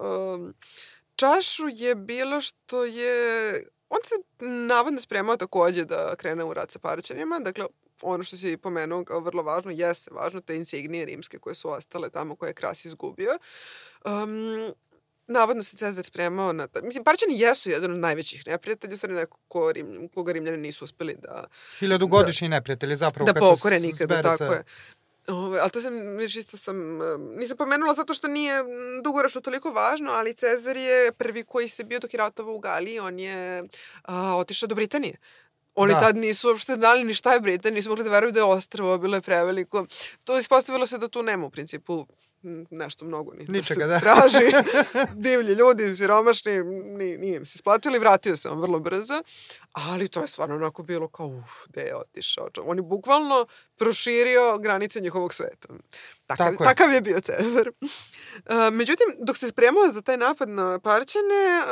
čašu je bilo što je... On se navodno spremao takođe da krene u rat sa Parćanima, dakle, ono što si pomenuo kao vrlo važno, jeste važno, te insignije rimske koje su ostale tamo, koje je Kras izgubio. Navodno se Cezar spremao na... Mislim, Parćani jesu jedan od najvećih neprijatelja, u stvari neko koga Rimljani nisu uspeli da... 1000-godišnji neprijatelji, zapravo, da pokore nikada, tako je. Ali to nisam pomenula zato što nije dugoročno toliko važno, ali Cezar je prvi koji se bio dok je ratovao u Galiji, on je otišao do Britanije. Oni tad nisu uopšte znali ni šta je Britanija, nisu mogli da veruju da je ostrvo, bilo je preveliko. To ispostavilo se da tu nema u principu nešto mnogo ničega, da se traži. Divlji ljudi, siromašni, nije im se isplatili, vratio se on vrlo brzo, ali to je stvarno onako bilo kao, gde je otišao. On je bukvalno proširio granice njihovog sveta. Takav je bio Cezar. Međutim, dok se spremao za taj napad na Parćane,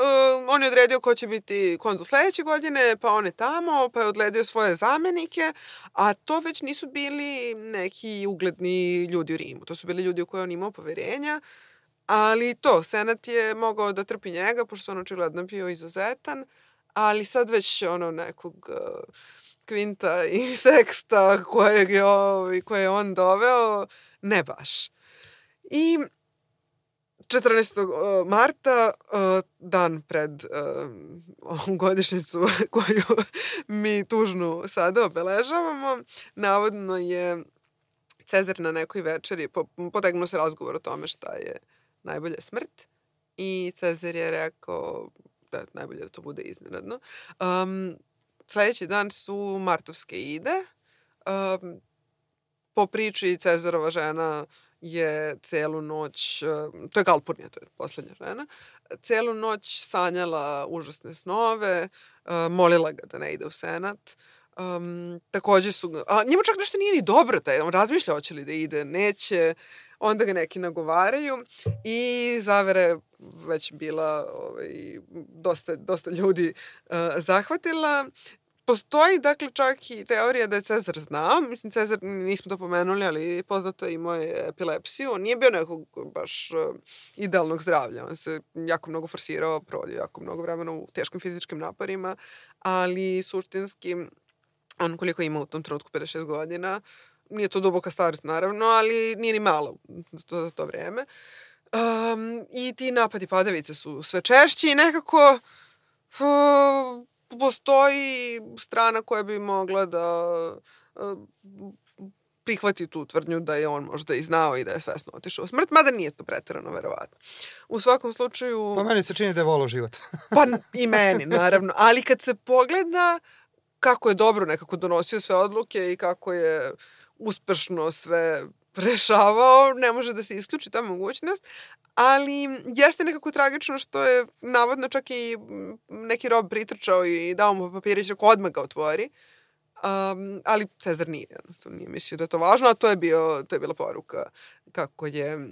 on je odredio ko će biti konzul sledeće godine, pa on je tamo, pa je odledio svoje zamenike, a to već nisu bili neki ugledni ljudi u Rimu. To su bili ljudi u koje on imao poverenja, ali Senat je mogao da trpi njega, pošto on očigledno bio izuzetan, ali sad već nekog Kvinta i Seksta koje je on doveo, ne baš. I 14. marta, dan pred godišnjicu koju mi tužnu sada obeležavamo, navodno je Cezar na nekoj večeri potegnuo se razgovor o tome šta je najbolja smrt i Cezar je rekao da je najbolje da to bude iznenadno. Sledeći dan su martovske ide. Po priči Cezarova žena je celu noć, to je Galpurnija, to je poslednja žena, celu noć sanjala užasne snove, molila ga da ne ide u senat. Takođe njemu čak nešto nije ni dobro, on razmišlja hoće li da ide, neće, onda ga neki nagovaraju i zavera je već bila dosta ljudi zahvatila. Postoji, dakle, čak i teorija da je Cezar znao. Mislim, Cezar, nismo to pomenuli, ali poznato je imao je epilepsiju. On nije bio nekog baš idealnog zdravlja. On se jako mnogo forsirao, provodio jako mnogo vremena u teškim fizičkim naporima, ali suštinski, on koliko ima u tom trenutku 56 godina, nije to duboka starost, naravno, ali nije ni malo za to vreme. I ti napadi padavice su sve češći i nekako postoji strana koja bi mogla da prihvati tu tvrdnju da je on možda i znao i da je svesno otišao u smrt, mada nije to preterano verovatno. U svakom slučaju... Pa meni se čini da je volao život. Pa i meni, naravno. Ali kad se pogleda kako je dobro nekako donosio sve odluke i kako je uspešno sve rešavao, ne može da se isključi ta mogućnost, ali jeste nekako tragično što je navodno čak i neki rob pritrčao i dao mu papirić ako odmah ga otvori, ali Cezar nije mislio da je to važno, a to je bila poruka kako je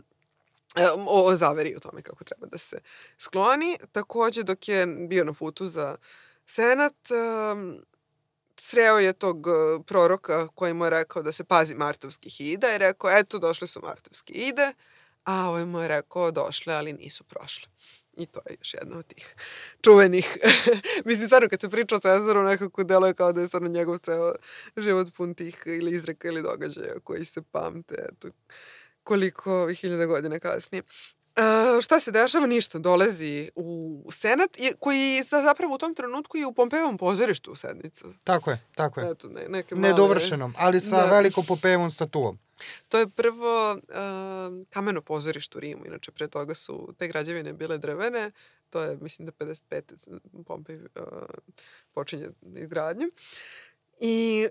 o zaveri o tome kako treba da se skloni. Takođe, dok je bio na putu za senat, sreo je tog proroka koji mu je rekao da se pazi martovskih ida i rekao, eto, došle su martovske ide, a ovaj mu je rekao, došle, ali nisu prošle. I to je još jedna od tih čuvenih. Mislim, stvarno, kad se priča o Cezaru, nekako deluje kao da je stvarno njegov ceo život pun tih ili izreka ili događaja koji se pamte, eto, koliko hiljada godina kasnije. Šta se dešava? Ništa. Dolazi u senat, koji zapravo u tom trenutku je u Pompejevom pozorištu u sednicu. Tako je. Eto, neke male... Nedovršenom, ali sa velikom Pompejevom statuom. To je prvo kameno pozorište u Rimu. Inače, pre toga su te građevine bile drvene. To je, mislim da 55. Pompej počinje izgradnju. I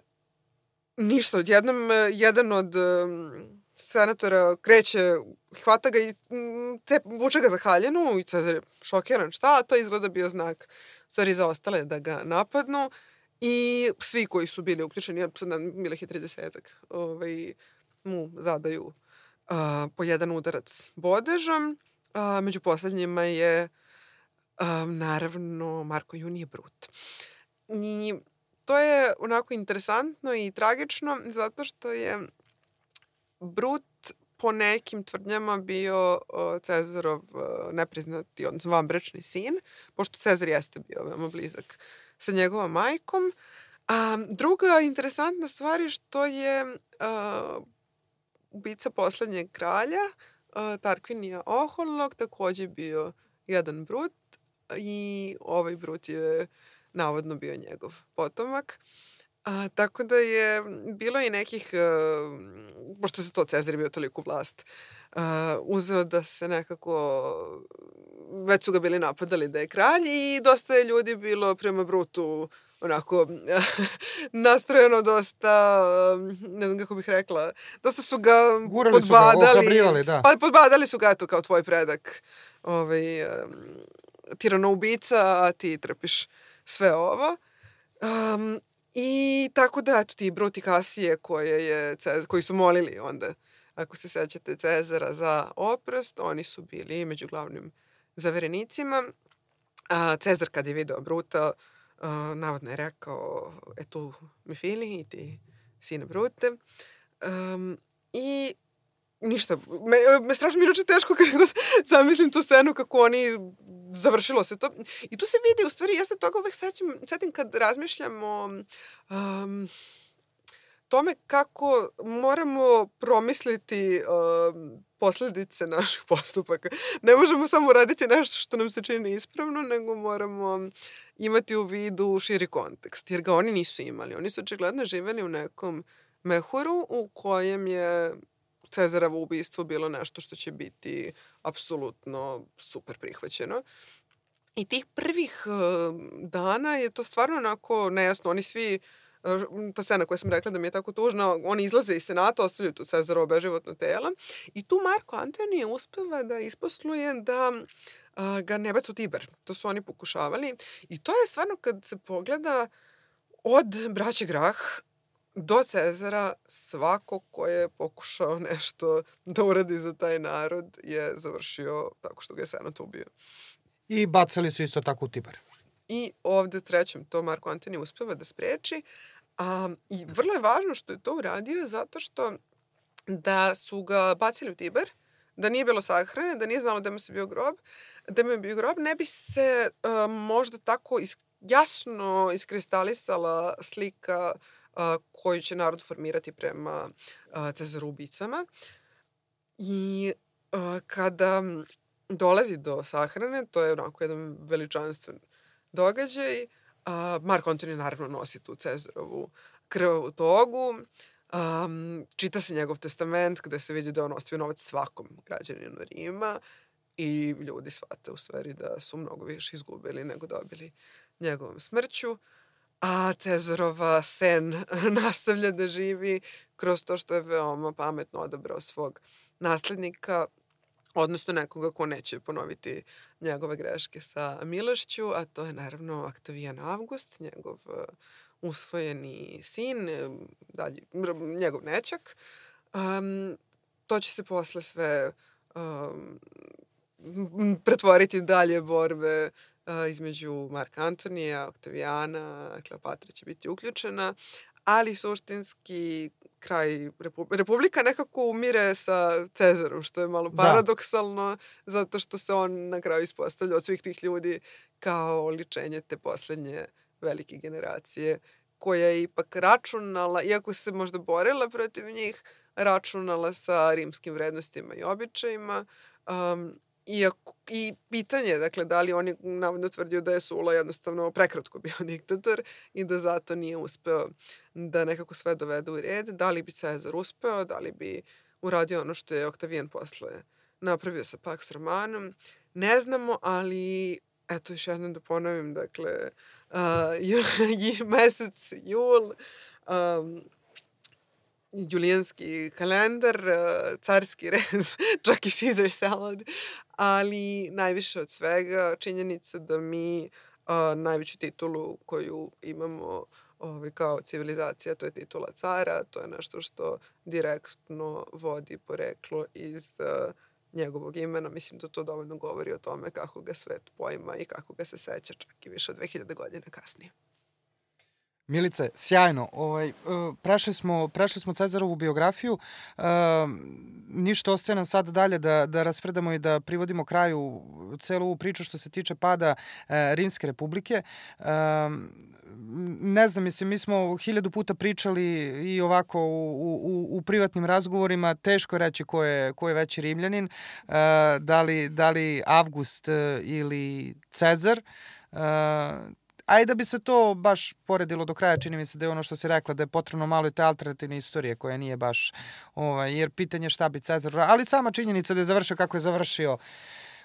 ništa, odjednom jedan od senatora kreće, hvata ga i vuče ga za haljinu i Cezar je šokiran. Šta? A to izgleda bio znak stvari za ostale da ga napadnu i svi koji su bili uključeni, sad bilo ih je 30-ak, mu zadaju po jedan udarac bodežom. Među poslednjima je naravno Marko Junije Brut. I to je onako interesantno i tragično zato što je Brut po nekim tvrdnjama bio Cezarov nepriznati, odnosno vanbračni sin, pošto Cezar jeste bio veoma blizak sa njegovom majkom. Druga interesantna stvar je što je ubica poslednjeg kralja, Tarkvinija Oholnog, takođe bio jedan Brut i ovaj Brut je navodno bio njegov potomak. Tako da je bilo i nekih, pošto se to Cezar je bio toliko vlast, uzeo da se nekako, već su ga bili napadali da je kralj i dosta je ljudi bilo prema Brutu onako nastrojeno dosta, ne znam kako bih rekla, dosta su ga gurali podbadali. Su ga, ohrabrivali, da. Pa podbadali su ga, eto, kao tvoj predak, tiranoubica, a ti trpiš sve ovo. I tako da, eto, ti Brut i Kasije koji su molili onda ako se sećate Cezara za oprost, oni su bili među glavnim zaverenicima. Cezar kad je video Bruta, navodno je rekao, tu mi fili i ti sine Brute. I ništa, me strašno inače teško kad zamislim tu scenu kako oni, završilo se to. I tu se vidi, u stvari, ja se toga uvek setim kad razmišljam o tome kako moramo promisliti posledice naših postupaka. Ne možemo samo raditi nešto što nam se čini ispravno, nego moramo imati u vidu širi kontekst, jer ga oni nisu imali. Oni su očigledno živeli u nekom mehuru u kojem je Cezarovo ubistvo bilo nešto što će biti apsolutno super prihvaćeno. I tih prvih dana je to stvarno onako nejasno. Oni svi, ta scena koja sam rekla da mi je tako tužna, oni izlaze iz senata, ostavljaju tu Cezarovo beživotno telo i tu Marko Antonije uspeva da isposluje da ga ne bacu u Tiber. To su oni pokušavali. I to je stvarno, kad se pogleda, od braće Grah do Cezara, svako ko je pokušao nešto da uradi za taj narod je završio tako što ga je senat ubio. I bacali su isto tako u Tiber. I ovde trećem to Marko Antonije uspeva da spreči. I vrlo je važno što je to uradio zato što da su ga bacili u Tiber, da nije bilo sahrane, da nije znalo da mu je bio grob, ne bi se možda tako jasno iskristalisala slika koju će narod formirati prema Cezaru ubicama. I kada dolazi do sahrane, to je onako jedan veličanstven događaj, Marko Antonije naravno nosi tu Cezarovu krvavu togu, čita se njegov testament gde se vidi da on ostavio novac svakom građaninu Rima i ljudi shvate u stvari da su mnogo više izgubili nego dobili njegovom smrću. A Cezarova sen nastavlja da živi kroz to što je veoma pametno odabrao svog naslednika, odnosno nekoga ko neće ponoviti njegove greške sa milošću, a to je naravno Oktavijan Avgust, njegov usvojeni sin, njegov nećak. To će se posle sve pretvoriti dalje borbe između Marka Antonija, Oktavijana, Kleopatra će biti uključena, ali suštinski kraj Republika nekako umire sa Cezarom, što je malo paradoksalno, zato što se on na kraju ispostavlja od svih tih ljudi kao oličenje te poslednje velike generacije, koja je ipak računala, iako se možda borila protiv njih, računala sa rimskim vrednostima i običajima. I pitanje, dakle, da li oni navodno tvrdio da je Sula jednostavno prekratko bio diktator i da zato nije uspeo da nekako sve dovede u red. Da li bi Cezar uspeo, da li bi uradio ono što je Oktavijan posle napravio sa Pax Romanom, ne znamo, ali eto još jednom da ponovim, dakle, mesec jul, julijanski kalendar, carski rez, čak i Caesar salad, ali najviše od svega činjenica da mi najveću titulu koju imamo kao civilizacija, to je titula cara, to je nešto što direktno vodi poreklo iz njegovog imena. Mislim da to dovoljno govori o tome kako ga svet poima i kako ga se seća čak i više od 2000 godina kasnije. Milice, sjajno. Prešli smo Cezarovu biografiju. Ništa ostaje nam sad dalje da raspredamo i da privodimo kraju celu ovu priču što se tiče pada Rimske republike. Ne znam, mislim, mi smo 1000 puta pričali i ovako u privatnim razgovorima, teško reći ko je veći Rimljanin, da li Avgust ili Cezar. Ajde da bi se to baš poredilo do kraja, čini mi se da je ono što si rekla, da je potrebno malo i te alternativne istorije koja nije baš, jer pitanje šta bi Cezar, ali sama činjenica da je završio kako je završio,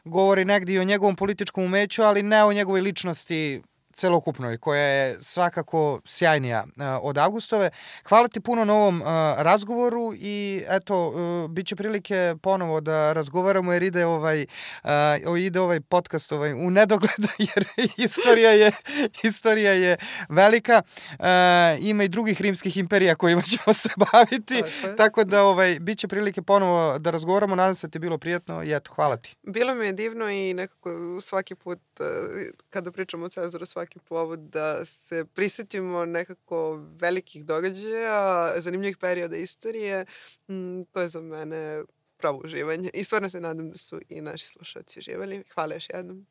govori negdje i o njegovom političkom umeću, ali ne o njegovoj ličnosti celokupnoj, koja je svakako sjajnija od Augustove. Hvala ti puno na ovom razgovoru i eto, bit će prilike ponovo da razgovaramo jer ide ovaj podcast u nedogled jer istorija je velika. Ima i drugih rimskih imperija kojima ćemo se baviti, tako da bit će prilike ponovo da razgovaramo. Nadam se da ti je bilo prijatno i eto, hvala ti. Bilo mi je divno i nekako svaki put kada pričamo o Cezaru, svaki povod da se prisjetimo nekako velikih događaja, zanimljivih perioda istorije, to je za mene pravo uživanje i stvarno se nadam da su i naši slušalci uživali. Hvala još jednom.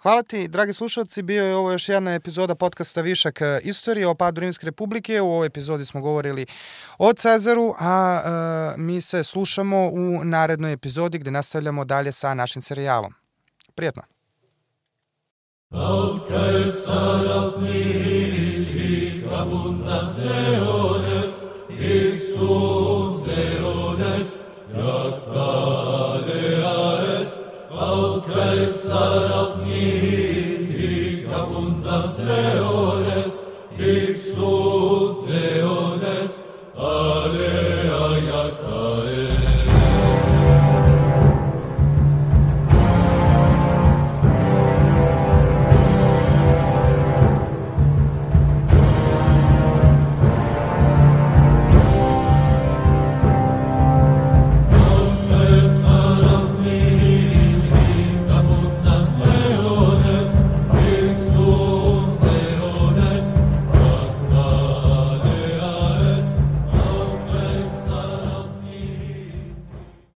Hvala ti, dragi slušalci, bio je ovo još jedna epizoda podcasta Višak istorije o padu Rimske republike. U ovoj epizodi smo govorili o Cezaru, a mi se slušamo u narednoj epizodi gde nastavljamo dalje sa našim serijalom. Prijatno! Aut Caesar nihil hic abundat leones, hic sunt leones, jacta lea est. Aut Caesar nihil hic abundat leones,